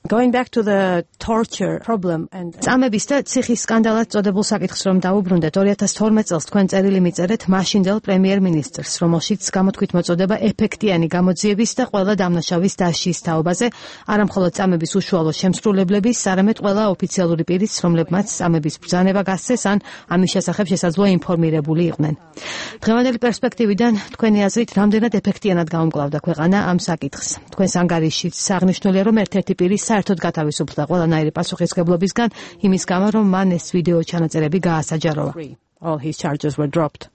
S1: Going back to the torture problem and წამების და ციხის სკანდალად წოდებულ საკითხს რომ დაუბრუნდეთ, 2012 წელს თქვენ წერილი მიწერეთ მაშინდელ პრემიერ-მინისტრს, რომელშიც გამოთქვით მოწოდება ეფექტიანი გამოძიების და ყველა დამნაშავის დასჯის თაობაზე, არა მხოლოდ წამების უშუალო შემსრულებლების, არამედ ყველა ოფიციალური პირის, რომლებმაც წამების ბრძანება გასცეს ან ამის შესახებ შესაძლოა ინფორმირებული იყვნენ. დღევანდელი პერსპექტივიდან თქვენი აზრით რამდენად ეფექტიანად გაუმკლავდა ქვეყანა ამ საკითხს? თქვენს ანგარიშიც აღნიშნულია, რომ ერთ-ერთი პირი საერთოდ გათავისუფლდა ყველანაირი პასუხისმგებლობისგან იმის გამო, რომ მან ეს ვიდეო ჩანაწერები გაასაჯაროვა. All his charges were dropped.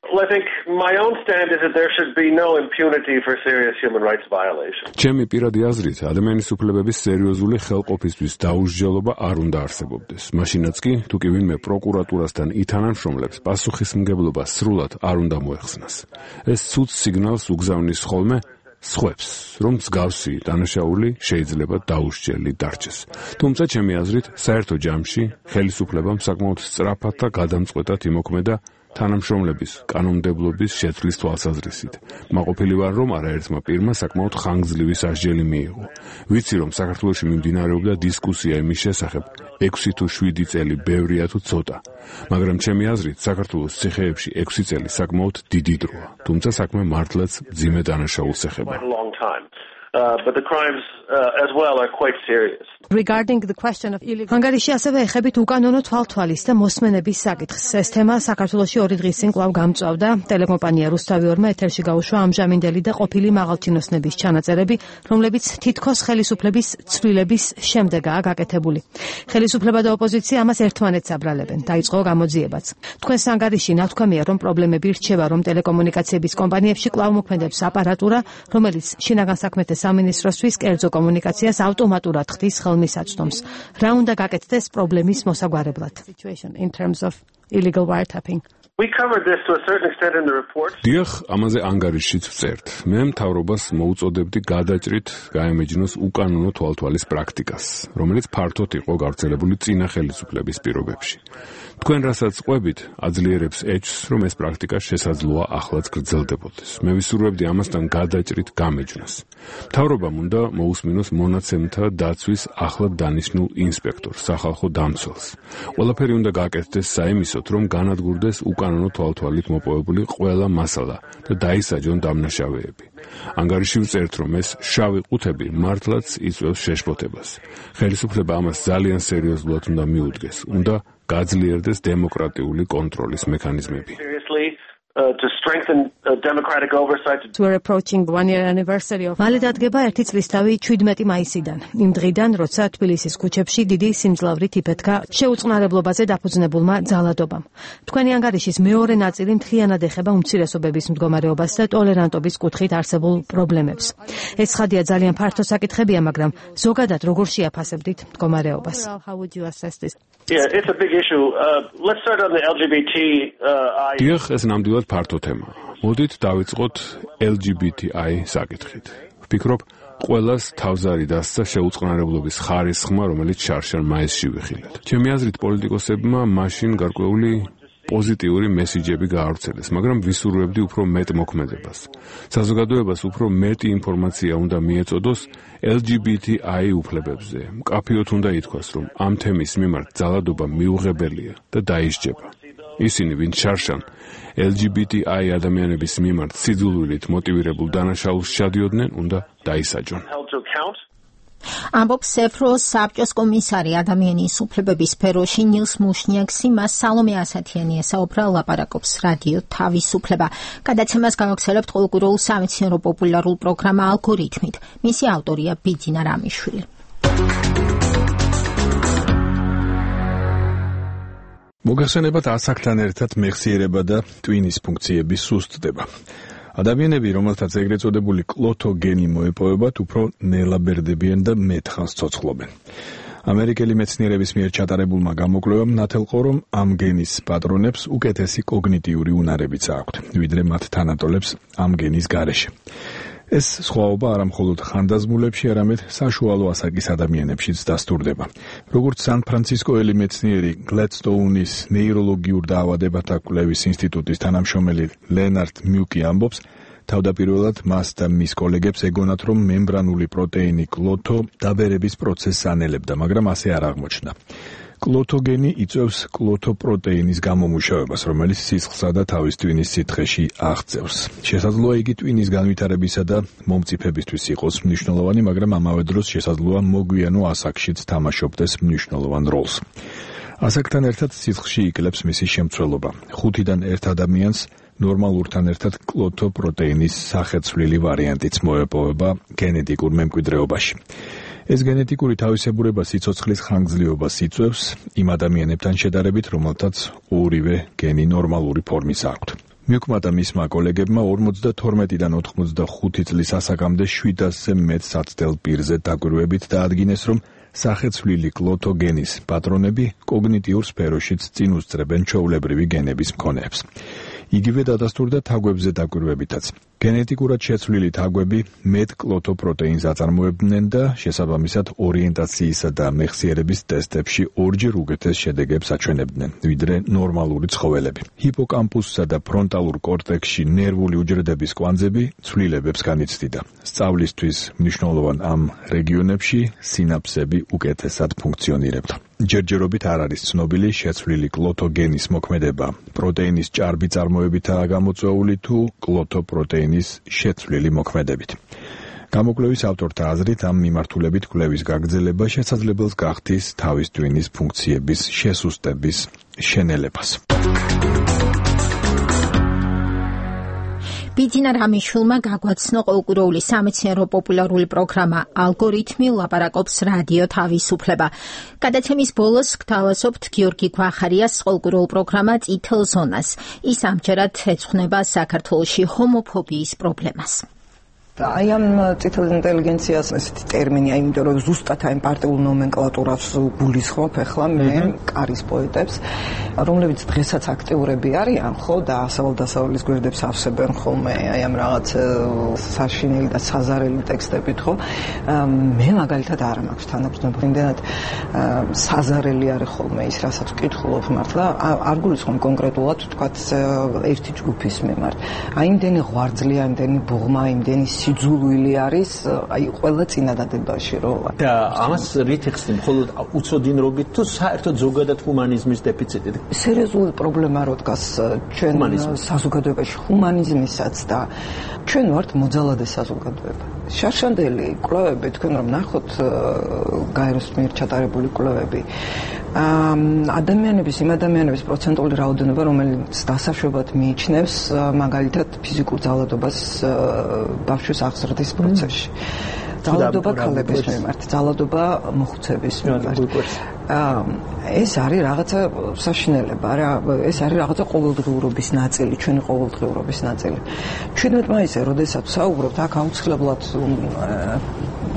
S7: Well, I think my own stand is that there should be no impunity for serious human rights violations.
S5: ჩემი პირადი აზრით, ადამიანის უფლებების სერიოზული ხელყოფისთვის დაუსჯელობა არ უნდა არსებობდეს. მაშინაც კი, თუ კი ვინმე პროკურატურასთან ითანამშრომლებს, პასუხისმგებლობა სრულად არ უნდა მოეხსნას. ეს ცუდ სიგნალს უგზავნის ხოლმე სხვებს, რომ მსგავსი დანაშაული შეიძლება დაუსჯელი დარჩეს. თუმცა ჩემი აზრით, საერთო ჯამში ხელისუფლებამ საკმაოდ სწრაფად და გადამწყვეტად იმოქმედა თანამშრომლების კანონმდებლობის შეცვლის თვალსაზრისით. მაყოფილი ვარ, რომ არაერთმა პირმა საკმაოდ ხანგრძლივი სასჯელი მიიღო. ვიცი, რომ საქართველოში მიმდინარეობდა დისკუსია იმის შესახებ, 6 თუ 7 წელი ბევრია თუ ცოტა. მაგრამ ჩემი აზრით, საქართველოს ციხეებში 6 წელი საკმაოდ დიდი დროა. თუმცა საქმე მართლაც მძიმე დანაშაულს ეხება.
S7: But the crimes as well are quite serious.
S1: Regarding the question of illegal Hungary-ში ასევე ეხებით უკანონო თვალთვალის და მოსმენების საკითხს. ეს თემა საქართველოში 2 დღის წინ კვლავ გამწვავდა. ტელეკომპანია რუსთავი 2-მა ეთერში გაუშვა ამჟამინდელი და ყოფილი მაღალჩინოსნების ჩანაწერები, რომლებიც თითქოს ხელისუფლების ცვლილების შემდეგაა გაკეთებული. ხელისუფლება და ოპოზიცია ამას ერთმანეთს აბრალებენ. დაიწყო გამოძიებაც. თქვენს Hungary-ში ნათქვამია, რომ პრობლემები რჩება, რომ ტელეკომუნიკაციების კომპანიებში კვლავ მოქმედებს აპარატურა, რომელიც შინაგან საქმეთა სამინისტროსთვის კერძო კომუნიკაციას ავტომატურად ხდის ხელმისაწვდომს. რა უნდა გაკეთდეს პრობლემის მოსაგვარებლად? In terms of illegal wiretapping.
S7: We covered this to a certain extent in the report.
S5: დიახ, ამაზე ანგარიშშიც ვწერთ. მე მთავრობას მოუწოდებდი გადაჭრით გაემეჯნოს უკანონო თვალთვალის პრაქტიკას, რომელიც ფართოდ იყო გავრცელებული წინა ხელისუფლების პირობებში. თქვენ რასაც ყვებით, აძლიერებს ეჭვს, რომ ეს პრაქტიკა შესაძლოა ახლაც გრძელდებოდეს. მე ვისურვებდი ამასთან გადაჭრით გამეჯნოს. მთავრობამ უნდა მოусმინოს მონაცემთა დაცვის ახლად დანიშნულ ინსპექტორს, სახალხო დამცველს. ყველაფერი უნდა გააკეთდეს საიმისოდ, რომ განადგურდეს უკანონო თვალთვალით მოპოვებული ყველა მასალა და დაისაჯონ დამნაშავეები. ანგარიში ვწერთ, რომ ეს შავი ყუთები მართლაც იწვევს შეშფოთებას. ხელისუფლება ამას ძალიან სერიოზულად უნდა მიუდგეს. უნდა გაძლიერდეს დემოკრატიული კონტროლის მექანიზმები.
S7: To strengthen democratic oversight.
S1: We're approaching 1-year anniversary of მალე დადგება 1 წლისთავი 17 მაისიდან. იმ დღიდან, როცა თბილისის ქუჩებში დიდი სიმძლავრით იფეთქა შეუწყნარებლობაზე დაფუძნებულმა ძალადობამ. თქვენი ანგარიშის მეორე ნაწილი მთლიანად ეხება უმცირესობების მდგომარეობას და ტოლერანტობის კუთხით არსებულ პრობლემებს. ეს ცხადია ძალიან ფართო საკითხებია, მაგრამ ზოგადად როგორ შეაფასებდით მდგომარეობას? How would you assess this?
S7: Yeah, it's a big issue. Let's start on the LGBTI.
S5: დიახ, ეს ნამდვილად ფართო თემაა. მოდით დავიწყოთ LGBTI საკითხით. ვფიქრობ, ყველას თავზარი დასცა შეუწყნარებლობის ხარისხმა, რომელიც შარშან მაისში ვიხილეთ. ჩემი აზრით, პოლიტიკოსებმა მაშინ გარკვეული პოზიტიური მესიჯები გაავრცელეს, მაგრამ ვისურვებდი უფრო მეტ მოქმედებას. საზოგადოებას უფრო მეტი ინფორმაცია უნდა მიეწოდოს LGBTI უფლებებზე. მკაფიოდ უნდა ითქვას, რომ ამ თემის მიმართ ძალადობა მიუღებელია და დაისჯება. ისინი, ვინც შარშან LGBTI ადამიანების მიმართ სიძულვილით მოტივირებულ დანაშაულს შადიოდნენ, უნდა დაისაჯონ.
S2: ამბობს სეფროს საბჭოს კომისარი ადამიანის უფლებების სფეროში ნილს მუშნიაქსი, მას სალომე ასათიანი ესაუბრა, ლაპარაკობს რადიო თავისუფლება. გადაცემას გავაგზავნებთ ყოველკვირეულ სამეცნიერო პოპულარულ პროგრამა ალგორითმით. მისი ავტორია ბიძინა რამიშვილი.
S10: მოგახსენებათ ასაკთან ერთად მეხსიერება და ტვინის ფუნქციები სუსტდება. ადამიანები, რომელთაც ეგრეთ წოდებული კლოთო გენი მოეპოვებათ, უფრო ნელაბერდებიან და მეტხანს ცოცხლობენ. ამერიკელი მეცნიერების მიერ ჩატარებულმა გამოკვლევამ ნათელყო, რომ ამ გენის პატრონებს უკეთესი კოგნიტიური უნარებიც აქვთ, ვიდრე მათ თანატოლებს ამ გენის გარეშე. ეს სხვაობა არა მხოლოდ ხანდაზმულებში, არამედ საშუალო ასაკის ადამიანებშიც დასტურდება. როგორც სან-ფრანცისკოელი მეცნიერი გლედსტოუნის ნეიროლოგიურ დაავადებათა კვლევის ინსტიტუტის თანამშრომელი ლენარდ მიუკი ამბობს, თავდაპირველად მას და მის კოლეგებს ეგონათ, რომ მემბრანული პროტეინი კლოთო დაბერების პროცესს ანელებდა, მაგრამ ასე არ აღმოჩნდა. კლოთოგენი იწვევს კლოთოპროტეინის გამომუშავებას, რომელიც სისხლსა და თავის ტვინის სითხეში აღწევს. შესაძლოა იგი ტვინის განვითარებისა და მომწიფებისთვის იყოს მნიშვნელოვანი, მაგრამ ამავე დროს შესაძლოა მოგვიანო ასაკშიც თამაშობდეს მნიშვნელოვან როლს. ასაკთან ერთად სისხლში იკლებს მისი შემცველობა. 5-დან 1 ადამიანს ნორმალურთან ერთად კლოთოპროტეინის სახეცვლილი ვარიანტიც მოეპოვება გენეტიკურ მემკვიდრეობაში. ეს გენეტიკური თავისებურება სიცოცხლის ხანგრძლივობას იწვევს იმ ადამიანებთან შედარებით, რომელთაც ორივე გენი ნორმალური ფორმის აქვთ. მიუქმედა მისმა კოლეგებმა 52-დან 85 წლის ასაკამდე 700-ზე მეტ საცდელ პირზე დაკვირვებით დაადგინეს, რომ სახეცვლილი კლოთო გენის პატრონები კოგნიტიურ სფეროშიც წინ უსწრებენ ჩვეულებრივი გენების მქონეებს. იგივე დადასტურდა თაგვებზე დაკვირვებითაც. გენეტიკურად შეცვლილი თაგვები მეტ კლოთო პროტეინს აწარმოებდნენ და შესაბამისად ორიენტაციისა და მეხსიერების ტესტებში ორჯერ უკეთეს შედეგებს აჩვენებდნენ, ვიდრე ნორმალური ცხოველები. ჰიპოკამპუსსა და ფრონტალურ კორტექსში ნერვული უჯრედების კვანძები ცვლილებებს განიცდიდა. სწავლისთვის მნიშვნელოვან ამ რეგიონებში სინაფსები უკეთესად ფუნქციონირებდა. ჯერჯერობით არ არის ცნობილი შეცვლილი კლოთო გენის მოქმედება პროტეინის ჭარბი წარმოებითაა გამოწვეული თუ კლოთო პროტეინის შეცვლილი მოქმედებით. გამოკვლევის ავტორთა აზრით ამ მიმართულებით კვლევის გაგრძელება შესაძლებელს გახდის თავის ტვინის ფუნქციების შესუსტების შენელებას.
S2: ბიძინა რამიშვილმა გაგვაცნო ყოველკვირეული სამეცნიერო პოპულარული პროგრამა ალგორითმი ლაპარაკობს რადიო თავისუფლება. გადაცემის ბოლოს გთავაზობთ გიორგი გვახარიას ყოველკვირეულ პროგრამა წითელ ზონას. ის ამჯერად ეძღვნება საქართველოში ჰომოფობიის პრობლემას.
S13: აი ამ წითელ ინტელიგენციას ესეთი ტერმინი, იმიტომ რომ ზუსტად აი პარტიულ ნომენკლატურას გულისხმობ ახლა მე კარის პოეტებს, რომლებიც დღესაც აქტიურები არიან, ხო, და ასავალ-დასავალის გვერდებს ავსებენ ხოლმე აი ამ რაღაც საშინელი და საზარელი ტექსტებით, ხო. მე მაგალითად არ მაქვს თანაბრდობა, იმდენად საზარელი არის ხოლმე ის, რასაც ვკითხულობ მართლა, არ გულისხმობ კონკრეტულად თქვათ ერთი ჯგუფის მიმართ. აი იმდენი ღვარძლია, იმდენი ბუღმა, იმდენი სიძულვილი არის, აი ყველა წინადადებაში რო.
S15: და ამას რით იხსნი, მხოლოდ უცოდინრობით თუ საერთოდ ზოგადად ჰუმანიზმის დეფიციტით?
S13: სერიოზული პრობლემა რო დგას ჩვენ საზოგადოებაში, ჰუმანიზმისაც და ჩვენ ვართ მოძალადე საზოგადოება. შარშანდელი კვლევები, თქვენ რომ ნახოთ გაეროს მიერ ჩატარებული კვლევები, ადამიანების პროცენტული რაოდენობა, რომელიც დასაშვებად მიიჩნევს მაგალითად ფიზიკურ ძალადობას ბავშვის აღზრდის პროცესში. ძალადობა ქალების მიმართ, ძალადობა მოხუცების მიმართ. ეს არის რაღაცა საშინელება რა, ეს არის რაღაცა ყოველდღიურობის ნაწილი, ჩვენი ყოველდღიურობის ნაწილი. 17 მაისზე, როდესაც საუბრობთ, აქ აუცილებლად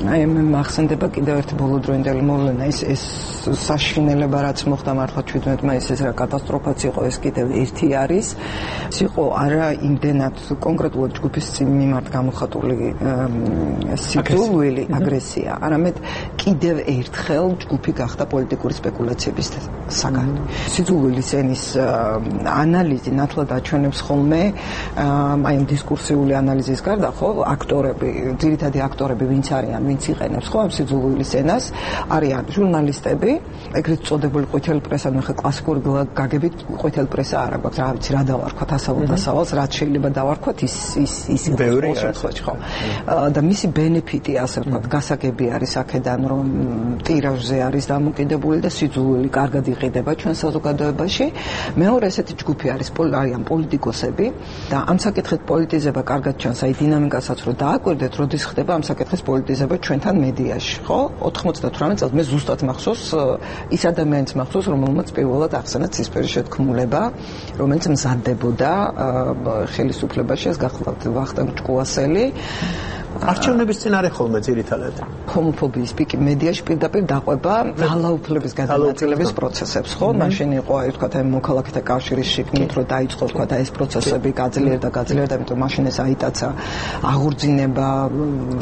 S13: აი მე მახსენდება კიდევ ერთი ბოლოდროინდელი მოვლენა, ეს საშინელება რაც მოხდა მართლა 17 მაისზე, ეს რა კატასტროფაც იყო, ეს კიდევ ერთი არის. ეს იყო არა იმდენად კონკრეტულად ჯგუფის მიმართ გამოხატული სიძულვილი, აგრესია, არამედ კიდევ ერთხელ ჯგუფი გახდა პოლიტიკური სპეკულაციების საგანი. სიძულვილის ენის ანალიზი ნათლად აჩვენებს ხოლმე აი ამ დისკურსიული ანალიზის გარდა, ხო, აქტორები, ძირითადი აქტორები ვინც არიან, ვინც იყენებს ხო ამ სიძულვილის ენას, არიან ჟურნალისტები, ეგრეთ წოდებული ყვითელი პრესა, ნახე კლასიკური გაგებით ყვითელი პრესა არა გვაქვს, რა ვიცი, რა დავარქვათ ასავალ-დასავალს, რაც შეიძლება დავარქვათ, ის ბევრი შემთხვევაში, ხო. და მისი ბენეფიტი, ასე ვთქვათ, გასაგები არის აქედან, რომ ტირაჟზე არის დამოკიდებული და სიძულვილი კარგად იყიდება ჩვენ საზოგადოებაში. მეორე ესეთი ჯგუფი არის არიან პოლიტიკოსები და ამ საკითხით პოლიტიზება კარგად ჩანს, აი დინამიკასაც რო დააკვირდეთ, როდის ხდება ამ საკითხის პოლიტიზება ჩვენთან მედიაში, ხო? 98 წელს მე ზუსტად მახსოვს ის ადამიანის მახსოვს, რომელმაც პირველად ახსენა ცისფერი შეთქმულება, რომელიც მზადდებოდა ხელისუფლებაში, ეს გახლავთ ვახტანგ ჭკუასელი.
S15: არჩევნების წინარე ხოლმე ძირითადად
S13: ჰომოფობიის პიკი მედიაში პირდაპირ დაყვება ძალაუფლების გადანაწილების პროცესებს, ხო? მაშინ იყო აი თქვა აი მოქალაქეთა კავშირის შიგნით რო დაიწყო თქვა ეს პროცესები გაძლიერდა, იმიტომ მაშინ ეს აიტაცა აღორძინება,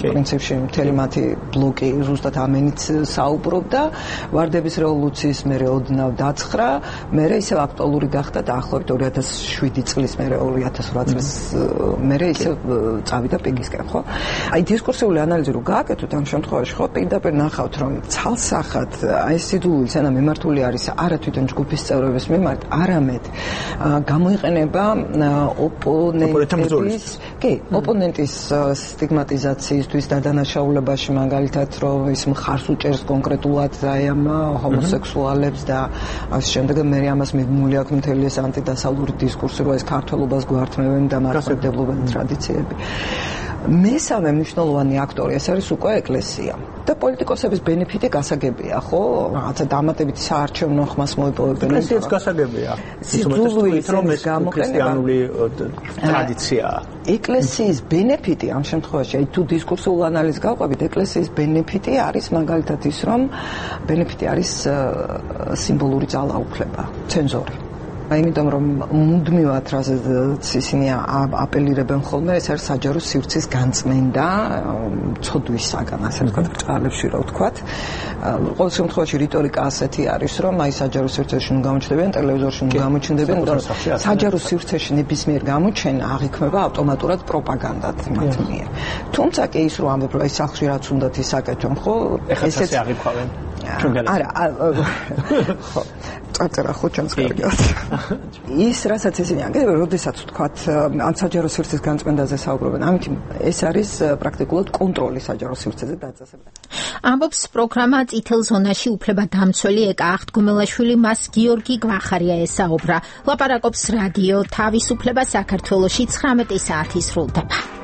S13: პრინციპში მთელი მათი ბლოკი ზუსტად ამენით საუბრობდა, ვარდების რევოლუციის მერე ოდნავ დაცხრა, მერე ისევ აქტუალური გახდა დაახლოებით 2007 წლის მერე 2008 წლის მერე ისევ წავიდა პიკისკენ, ხო? აი დისკურსიული ანალიზი რო გააკეთოთ ამ შემთხვევაში, ხო, პირდაპირ ნახავთ, რომ ცალსახად აი ეს სიძულვილის ენა მიმართული არის არა თვითონ ჯგუფის წევრების მიმართ, არამედ გამოიყენება ოპონენტის სტიგმატიზაციისთვის და დანაშაულებაში, მაგალითად, რომ ის მხარს უჭერს კონკრეტულად აი ამ ჰომოსექსუალებს და ამ შემდეგ მე ამას მიდმული აქვს მთელი ეს ანტიდასავლური დისკურსი, რომ ეს ქართველობას გვართმევენ და მართლმადიდებლობელი ტრადიციები. მესამე მნიშვნელოვანი აქტორი ეს არის უკვე ეკლესია. და პოლიტიკოსების ბენეფიტი გასაგებია, ხო? რაღაცა დამატებითი საარჩევნო ხმას მოიპოვებენ.
S15: ეკლესიაც გასაგებია.
S13: სიძულვის
S15: ქრისტიანული ტრადიციაა.
S13: ეკლესიის ბენეფიტი ამ შემთხვევაში, თუ დისკურსულ ანალიზს გავყვებით, ეკლესიის ბენეფიტი არის მაგალითად ის, რომ ბენეფიტი არის სიმბოლური ძალაუფლება, ცენზორი. იმიტომ რომ მუდმივად რაზეც ისინი აპელირებენ ხოლმე ეს არის საჯარო სივრცის განწმენდა ცოდვისაგან ასე ვთქვათ ბრჭყალებში რა ვთქვათ ყოველ შემთხვევაში რიტორიკა ასეთი არის რომ აი საჯარო სივრცეში ნუ გამოჩნდებიან ტელევიზორში ნუ გამოჩნდებიან საჯარო სივრცეში ნებისმიერ გამოჩენა აღიქმება ავტომატურად პროპაგანდად მათ მიერ თუმცა კი ის რომ ამბობ რომ აი სახლში რაც უნდათ ისაკეთონ ხო
S15: ესეც აღიქვავენ
S13: არა ხო წარწერა ხო ჩანს კარგად ის რასაც ისინი ანგებენ როდესაც ვთქვათ ან საჯარო სივრცის განწმენდაზე საუბრობენ ამით ეს არის პრაქტიკულად კონტროლი საჯარო სივრცეზე დაწესება
S2: ამბობს პროგრამა წითელ ზონაში უფლებადამცველი ეკა აღდგომელაშვილი მას გიორგი გვახარია ესაუბრა ლაპარაკობს რადიო თავისუფლება საქართველოში 19 საათი სრულდება